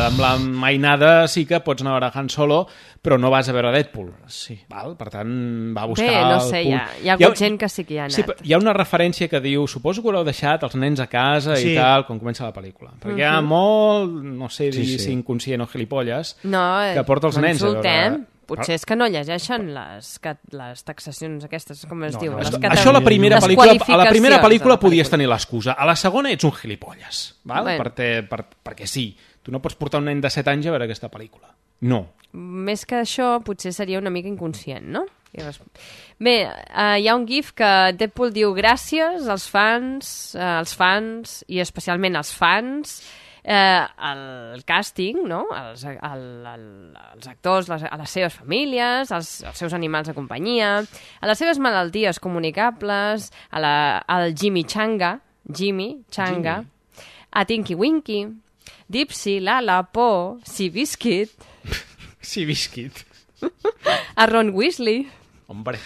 amb la mainada sí que pots anar a veure Han Solo, però no vas a veure Deadpool. Sí. Val? Per tant, va buscar... Bé, no sé, el hi ha, hi ha hagut hi ha, gent que sí que hi ha anat. Sí, hi ha una referència que diu, suposo que haureu deixat els nens a casa sí. i tal, quan comença la pel·lícula. Perquè uh-huh. hi ha molt, no sé dir sí, sí. si inconscient o gilipolles, no, que porta els nens a veure... Potser és que no llegeixen les, les taxacions aquestes, com es no, diu. No, les cata... Això a la primera pel·lícula, a la primera pel·lícula podies tenir l'excusa. A la segona ets un gilipolles. Val? Bueno. Per te, per, perquè sí, tu no pots portar un nen de set anys a veure aquesta pel·lícula. No. Més que això, potser seria una mica inconscient, no? Bé, uh, hi ha un gif que Deadpool diu gràcies als fans, uh, als fans i especialment als fans, eh, el càsting, no? els, el, el, els actors, les, a les seves famílies, als, als seus animals de companyia, a les seves malalties comunicables, a la, al Jimmy Changa, Jimmy Changa, Jimmy. A Tinky Winky, Dipsy, Lala, Po, Seabiscuit, Seabiscuit, a Ron Weasley, hombre,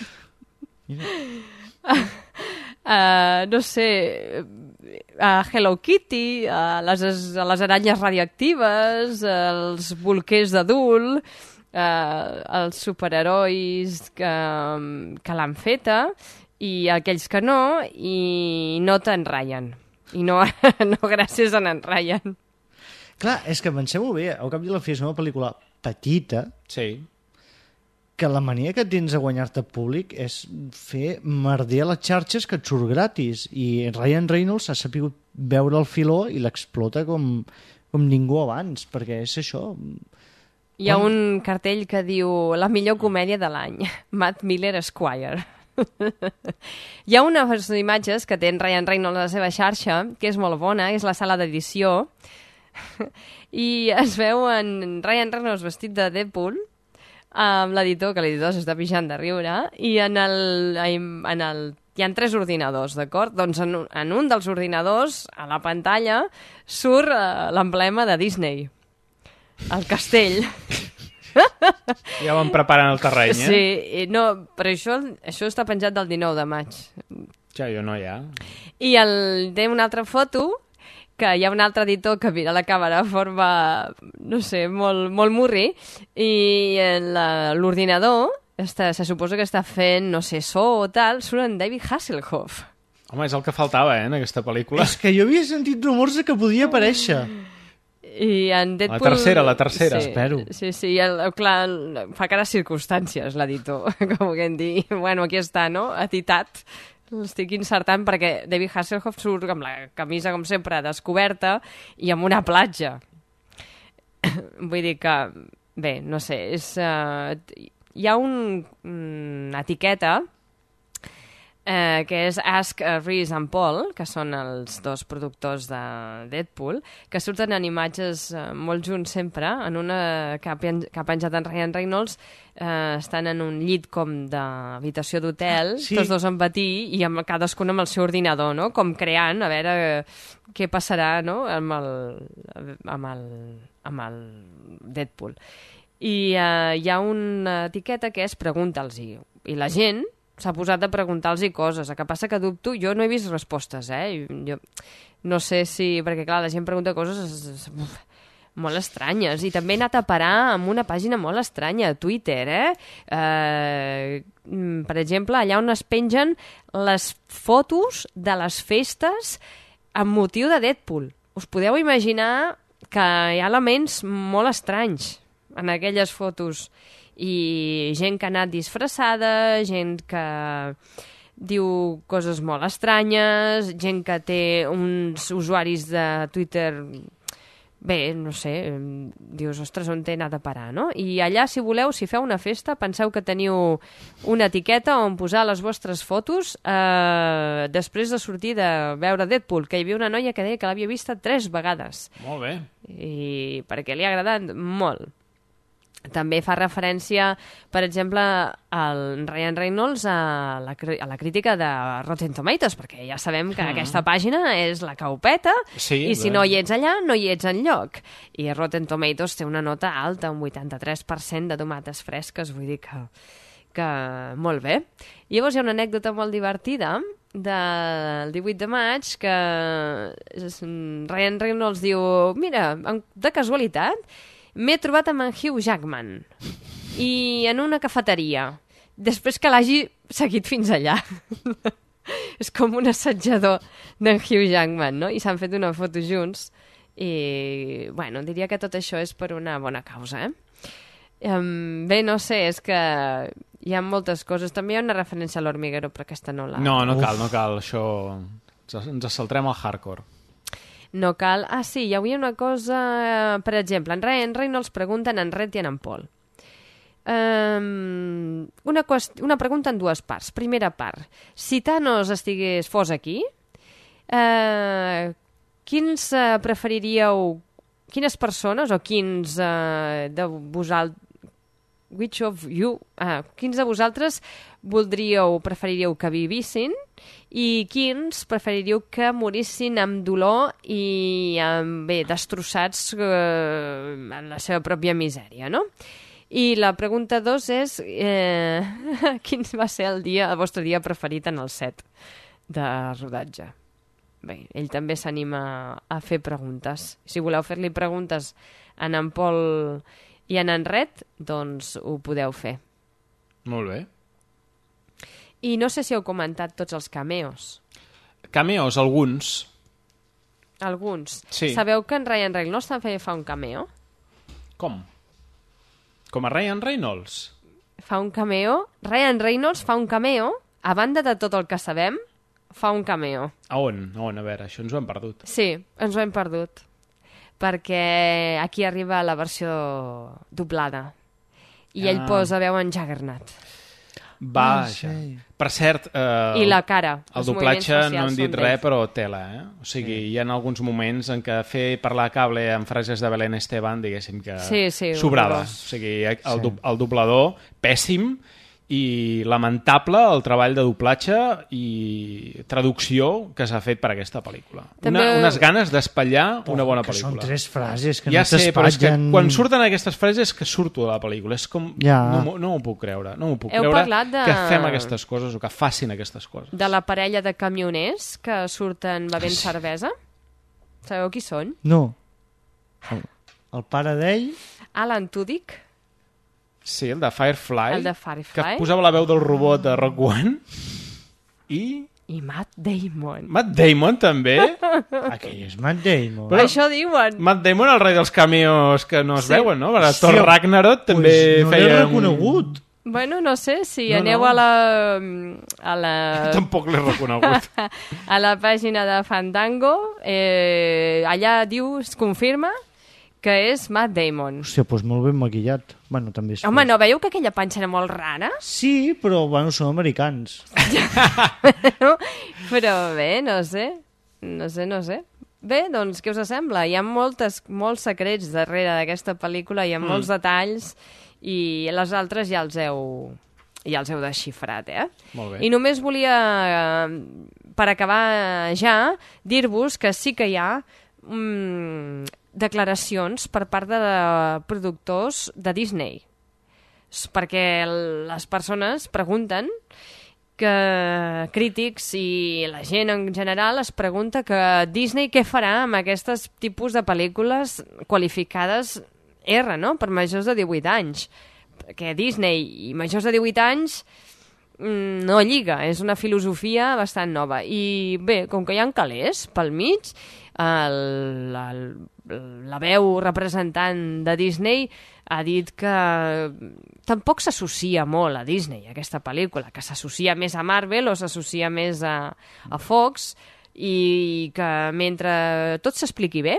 uh, no sé, a Hello Kitty, a les, a les aranyes radioactives, als bolquers d'adult, uh, als superherois que, que l'han feta i aquells que no, i no te'n Ryan. I no, no gràcies a en Ryan. Clar, és que pensem-ho bé, al cap i a la fi és una pel·lícula petita, sí, que la mania que tens de guanyar-te públic és fer merder a les xarxes que et surt gratis, i Ryan Reynolds ha sapigut veure el filó i l'explota com, com ningú abans, perquè és això. Hi ha Quan... un cartell que diu la millor comèdia de l'any, Matt Miller Esquire. Hi ha unes imatges que té en Ryan Reynolds a la seva xarxa, que és molt bona, és la sala d'edició, i es veu en Ryan Reynolds vestit de Deadpool, amb l'editor, que l'editor s'està pixant de riure, i en el, en el, hi ha tres ordinadors, d'acord? Doncs en, en un dels ordinadors, a la pantalla, surt uh, l'emblema de Disney, el castell. Ja van preparant el terreny, eh? Sí, no, però això, això està penjat del dinou de maig. Ja, jo no, ja. I el, té una altra foto, que hi ha un altre editor que mira la càmera de forma, no sé, molt, molt murri, i l'ordinador està, se suposa que està fent, no sé, so o tal, surt en David Hasselhoff. Home, és el que faltava, eh, en aquesta pel·lícula. És que jo havia sentit rumors de que podia aparèixer. I en Deadpool... La tercera, la tercera, sí, espero. Sí, sí, el, clar, fa cares circumstàncies, l'editor, com que em dir, bueno, aquí està, no?, etitat. L'estic insertant perquè David Hasselhoff surt amb la camisa, com sempre, descoberta i amb una platja. Vull dir que, bé, no sé, és, uh, hi ha un, una etiqueta eh, que és Ask Reese and Paul, que són els dos productors de Deadpool, que surten en imatges eh, molt junts sempre, en una que ha, pen que ha penjat en Ryan Reynolds, eh, estan en un llit com d'habitació d'hotel, sí. Tots dos en batí, i amb cadascun amb el seu ordinador, no?, com creant, a veure eh, què passarà, no?, amb el, amb el, amb el Deadpool. I eh, hi ha una etiqueta que és pregunta'ls-hi, i la gent s'ha posat a preguntar-los coses. El que passa que dubto, jo no he vist respostes, eh? Jo no sé si... Perquè, clar, la gent pregunta coses molt estranyes. I també he anat a parar amb una pàgina molt estranya, a Twitter, eh? eh per exemple, allà on es pengen les fotos de les festes amb motiu de Deadpool. Us podeu imaginar que hi ha elements molt estranys en aquelles fotos, i gent que ha anat disfressada, gent que diu coses molt estranyes, gent que té uns usuaris de Twitter, bé, no sé, dius, ostres, on t'he anat a parar, no? I allà, si voleu, si feu una festa, penseu que teniu una etiqueta on posar les vostres fotos eh, després de sortir de veure Deadpool, que hi havia una noia que deia que l'havia vista tres vegades. Molt bé. I perquè li ha agradat molt. També fa referència, per exemple, al Ryan Reynolds a la, a la crítica de Rotten Tomatoes, perquè ja sabem que mm. aquesta pàgina és la que ho peta, sí, i si bé. no hi ets allà, no hi ets enlloc. I Rotten Tomatoes té una nota alta, un vuitanta-tres per cent de tomates fresques, vull dir que, que molt bé. I llavors hi ha una anècdota molt divertida del divuit de maig que Ryan Reynolds diu, mira, de casualitat, m'he trobat amb en Hugh Jackman i en una cafeteria després que l'hagi seguit fins allà. És com un assetjador d'en Hugh Jackman, no? I s'han fet una foto junts i, bueno, diria que tot això és per una bona causa, eh? Um, bé, no sé, és que hi ha moltes coses. També hi ha una referència a l'Hormiguero, però aquesta no la... No, no cal, no cal, això... Ens saltarem al hardcore. No cal... Ah, sí, hi havia una cosa... Per exemple, en Ryan Reynolds pregunten en Red i en Paul. Um, una, qüest... una pregunta en dues parts. Primera part. Si Thanos estigués fos aquí, uh, quins uh, preferiríeu... Quines persones o quins uh, de vosaltres... Which of you... Ah, quins de vosaltres voldríeu, preferiríeu que vivissin i quins preferiríeu que morissin amb dolor i amb, bé, destrossats eh, en la seva pròpia misèria, no? I la pregunta dos és eh, quin va ser el dia, el vostre dia preferit en el set de rodatge? Bé, ell també s'anima a fer preguntes. Si voleu fer-li preguntes a en Paul i en en Red, doncs ho podeu fer. Molt bé. I no sé si heu comentat tots els cameos. Cameos, alguns. Alguns. Sí. Sabeu que en Ryan Reynolds també fa un cameo? Com? Com a Ryan Reynolds? Fa un cameo. Ryan Reynolds fa un cameo, a banda de tot el que sabem, fa un cameo. A on? A on? A veure, això ens ho hem perdut. Sí, ens ho hem perdut. Perquè aquí arriba la versió doblada. I ah. ell posa veu en Juggernaut. Vaja. Ah, sí. Per cert... Eh, I la cara. El doblatge no hem dit res, però tela, eh? O sigui, sí. Hi ha alguns moments en què fer parlar cable amb frases de Belén Esteban, diguéssim que sí, sí, sobrava. O sigui, el, sí. el doblador, pèssim, i lamentable el treball de doblatge i traducció que s'ha fet per aquesta pel·lícula. També... Una, unes ganes d'espatllar una bona que pel·lícula. Són tres frases que ja no t'espatllen... sé, però és que quan surten aquestes frases que surto de la pel·lícula. És com... Ja. No, no m'ho puc creure. No m'ho puc Heu creure de... que fem aquestes coses o que facin aquestes coses. De la parella de camioners que surten bevent sí. cervesa? Sabeu qui són? No. El, el pare d'ell... Alan Tudyk. Sí, el de Firefly, el de Firefly, que posava la veu del robot de Rogue One, i... I Matt Damon. Matt Damon, també? Aquell és Matt Damon. Però això diuen. Matt Damon, el rei dels cameos que no es Sí. veuen, no? Per Thor Ragnarok també pues no feia... l'he reconegut. Bueno, no sé, si No, aneu no. a la... a la... Tampoc l'he reconegut. a la pàgina de Fandango, eh, allà diu, es confirma que és Matt Damon. Hòstia, doncs molt ben maquillat. Bueno, també és... Home, no veieu que aquella panxa era molt rara? Sí, però, bueno, són americans. Però bé, no sé. No sé, no sé. Bé, doncs, què us sembla? Hi ha moltes, molts secrets darrere d'aquesta pel·lícula, hi ha Mm. molts detalls, i les altres ja els heu, ja els heu desxifrat, eh? Molt bé. I només volia, eh, per acabar ja, dir-vos que sí que hi ha mm, declaracions per part de productors de Disney. S- Perquè les persones pregunten que crítics i la gent en general es pregunta que Disney què farà amb aquests tipus de pel·lícules qualificades R, no?, per majors de divuit anys. Perquè Disney i majors de divuit anys mm, no lliga, és una filosofia bastant nova. I bé, com que hi ha calés pel mig, el, el, la veu representant de Disney ha dit que tampoc s'associa molt a Disney, aquesta pel·lícula, que s'associa més a Marvel o s'associa més a, a Fox, i que mentre tot s'expliqui bé,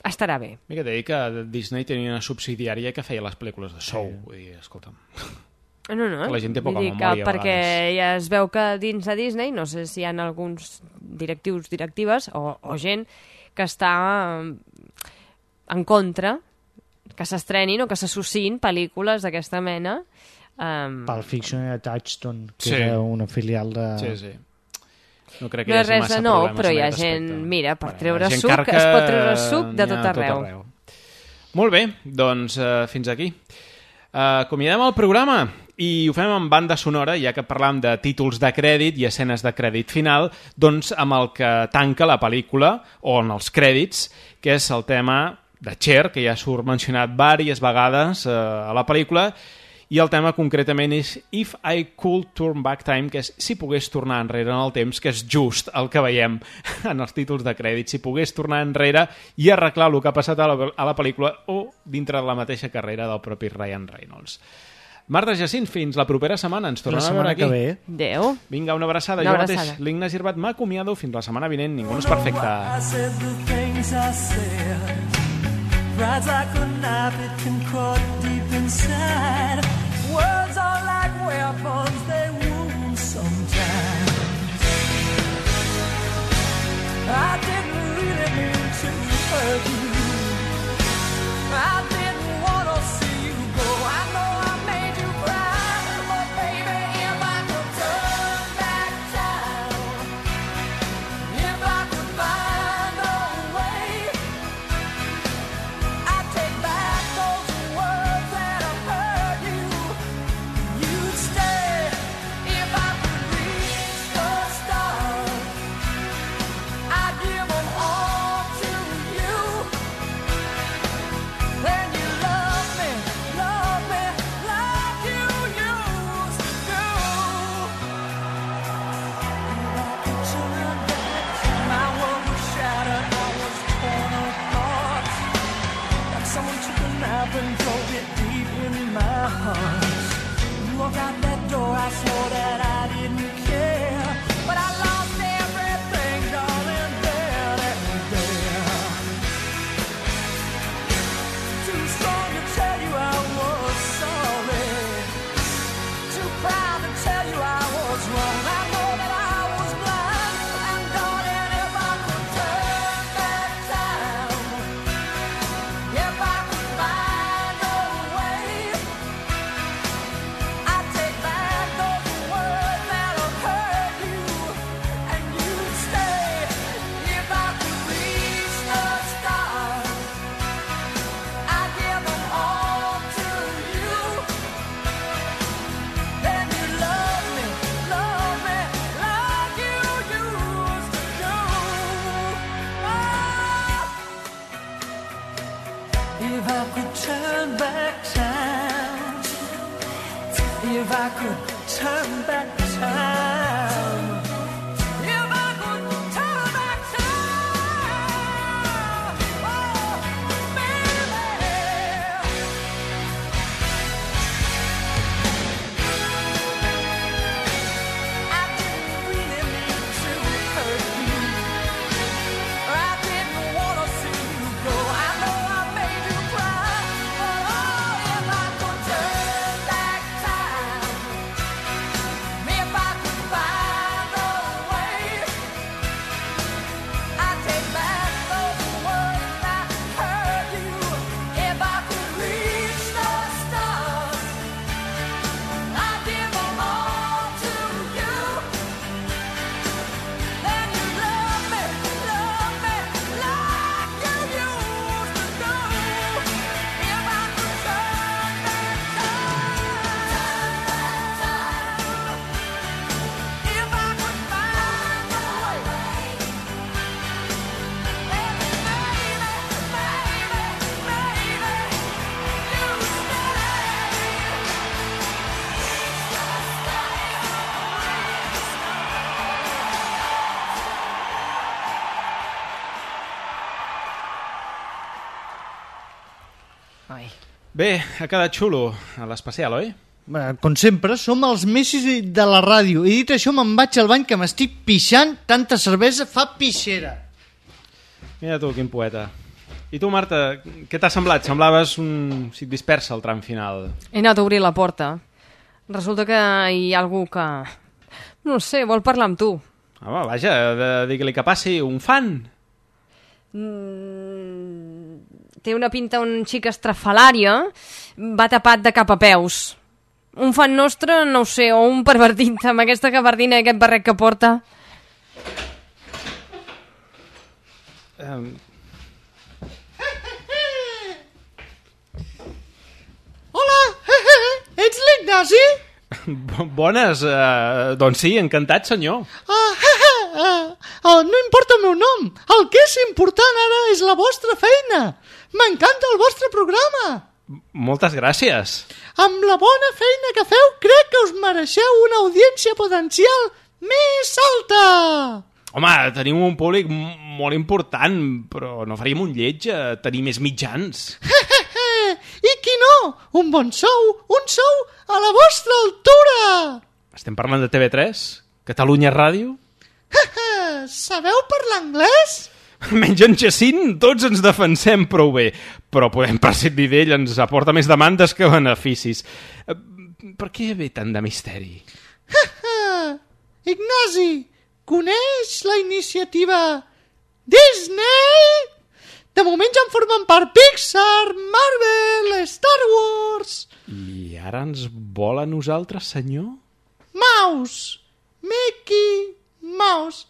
estarà bé. Mica t'he dit que Disney tenia una subsidiària que feia les pel·lícules de Show. Sí. Vull dir, escolta'm... No, no, que la gent té poca vull dir memòria, que perquè ja es veu que dins de Disney, no sé si hi ha alguns directius, directives o, o gent que està en contra que s'estrenin o que s'associïn pel·lícules d'aquesta mena. Um... Pulp Fiction era Touchstone, que Sí. era una filial de... Sí, sí. No crec que No hi és hagi res massa de nou, problemes però en hi ha aquest gent... aspecte. Mira, per Bueno, treure la gent suc, carca es pot treure suc de n'hi ha tot a arreu. Molt bé, doncs uh, fins aquí. Uh, acomiadem el programa i ho fem amb banda sonora, ja que parlam de títols de crèdit i escenes de crèdit final, doncs amb el que tanca la pel·lícula, o en els crèdits, que és el tema de Cher, que ja surt mencionat diverses vegades uh, a la pel·lícula, i el tema concretament és If I Could Turn Back Time, que és si pogués tornar enrere en el temps, que és just el que veiem en els títols de crèdit, si pogués tornar enrere i arreglar el que ha passat a la, a la pel·lícula o dintre de la mateixa carrera del propi Ryan Reynolds. Marta Jacint, fins la propera setmana. Ens tornem a veure aquí. La setmana que ve. Adéu. Vinga, una abraçada. Una jo abraçada. mateix, l'Ignasi Irbat, m'acomiado fins la setmana vinent. Ningú no és perfecte. Rides like a knife, it can cut deep inside. Words are like weapons, they wound sometimes. I didn't really mean to hurt you. I didn't want to see you go. I know I made you cry, but baby, if I could turn back time, if I could find a way, I'd take back those words that have hurt you. You'd stay if I could reach the stars. I'd give them all to you. Then you love me, love me like you used to do. If I could turn back, my world was shattered, I was torn apart. Like someone took a knife and drove it deep in my heart. You walked out that door, I swore that I didn't care, but I lost everything, darling, there and there. Too strong to tell you I was sorry, too proud to tell you I was wrong. I know that I was blind, and darling, if I could turn back time, if I could find a way, I'd take back those words that have hurt you, and you'd stay if I could reach the stars. I'd give them all to you. Then you love me, love me like you used to do. Oh. If I could turn back time, if I could turn back time, Bé, ha quedat xulo a l'especial, oi? Bé, com sempre, som els messis de la ràdio. I dit això, me'n vaig al bany que m'estic pixant. Tanta cervesa fa pixera. Mira tu, quin poeta. I tu, Marta, què t'ha semblat? Semblaves un xic dispersa al tram final. He anat a obrir la porta. Resulta que hi ha algú que... No sé, vol parlar amb tu. Home, vaja, digue-li que passi. Un fan? Mm, té una pinta un xic estrafalària. Va tapat de cap a peus. Un fan nostre, no ho sé, o un pervertit amb aquesta gabardina i aquest barret que porta. Um... Hola, ets l'Ignasi? Bones, uh, doncs sí, encantat, senyor. Uh, uh, uh, no importa el meu nom, el que és important ara és la vostra feina. M'encanta el vostre programa. Moltes gràcies. Amb la bona feina que feu, crec que us mereixeu una audiència potencial més alta. Home, tenim un públic molt important, però no faríem un lleig a tenir més mitjans. I qui no? Un bon sou, un sou a la vostra altura. Estem parlant de T V tres? Catalunya Ràdio? Sabeu parlar anglès? Menys en Jacint, tots ens defensem prou bé, però podem prescindir d'ell, ens aporta més demandes que beneficis. Per què ve tant de misteri? Ignasi, coneix la iniciativa Disney? De moment ja en formen part Pixar, Marvel, Star Wars. I ara ens vol a nosaltres, senyor? Mouse, Mickey Mouse.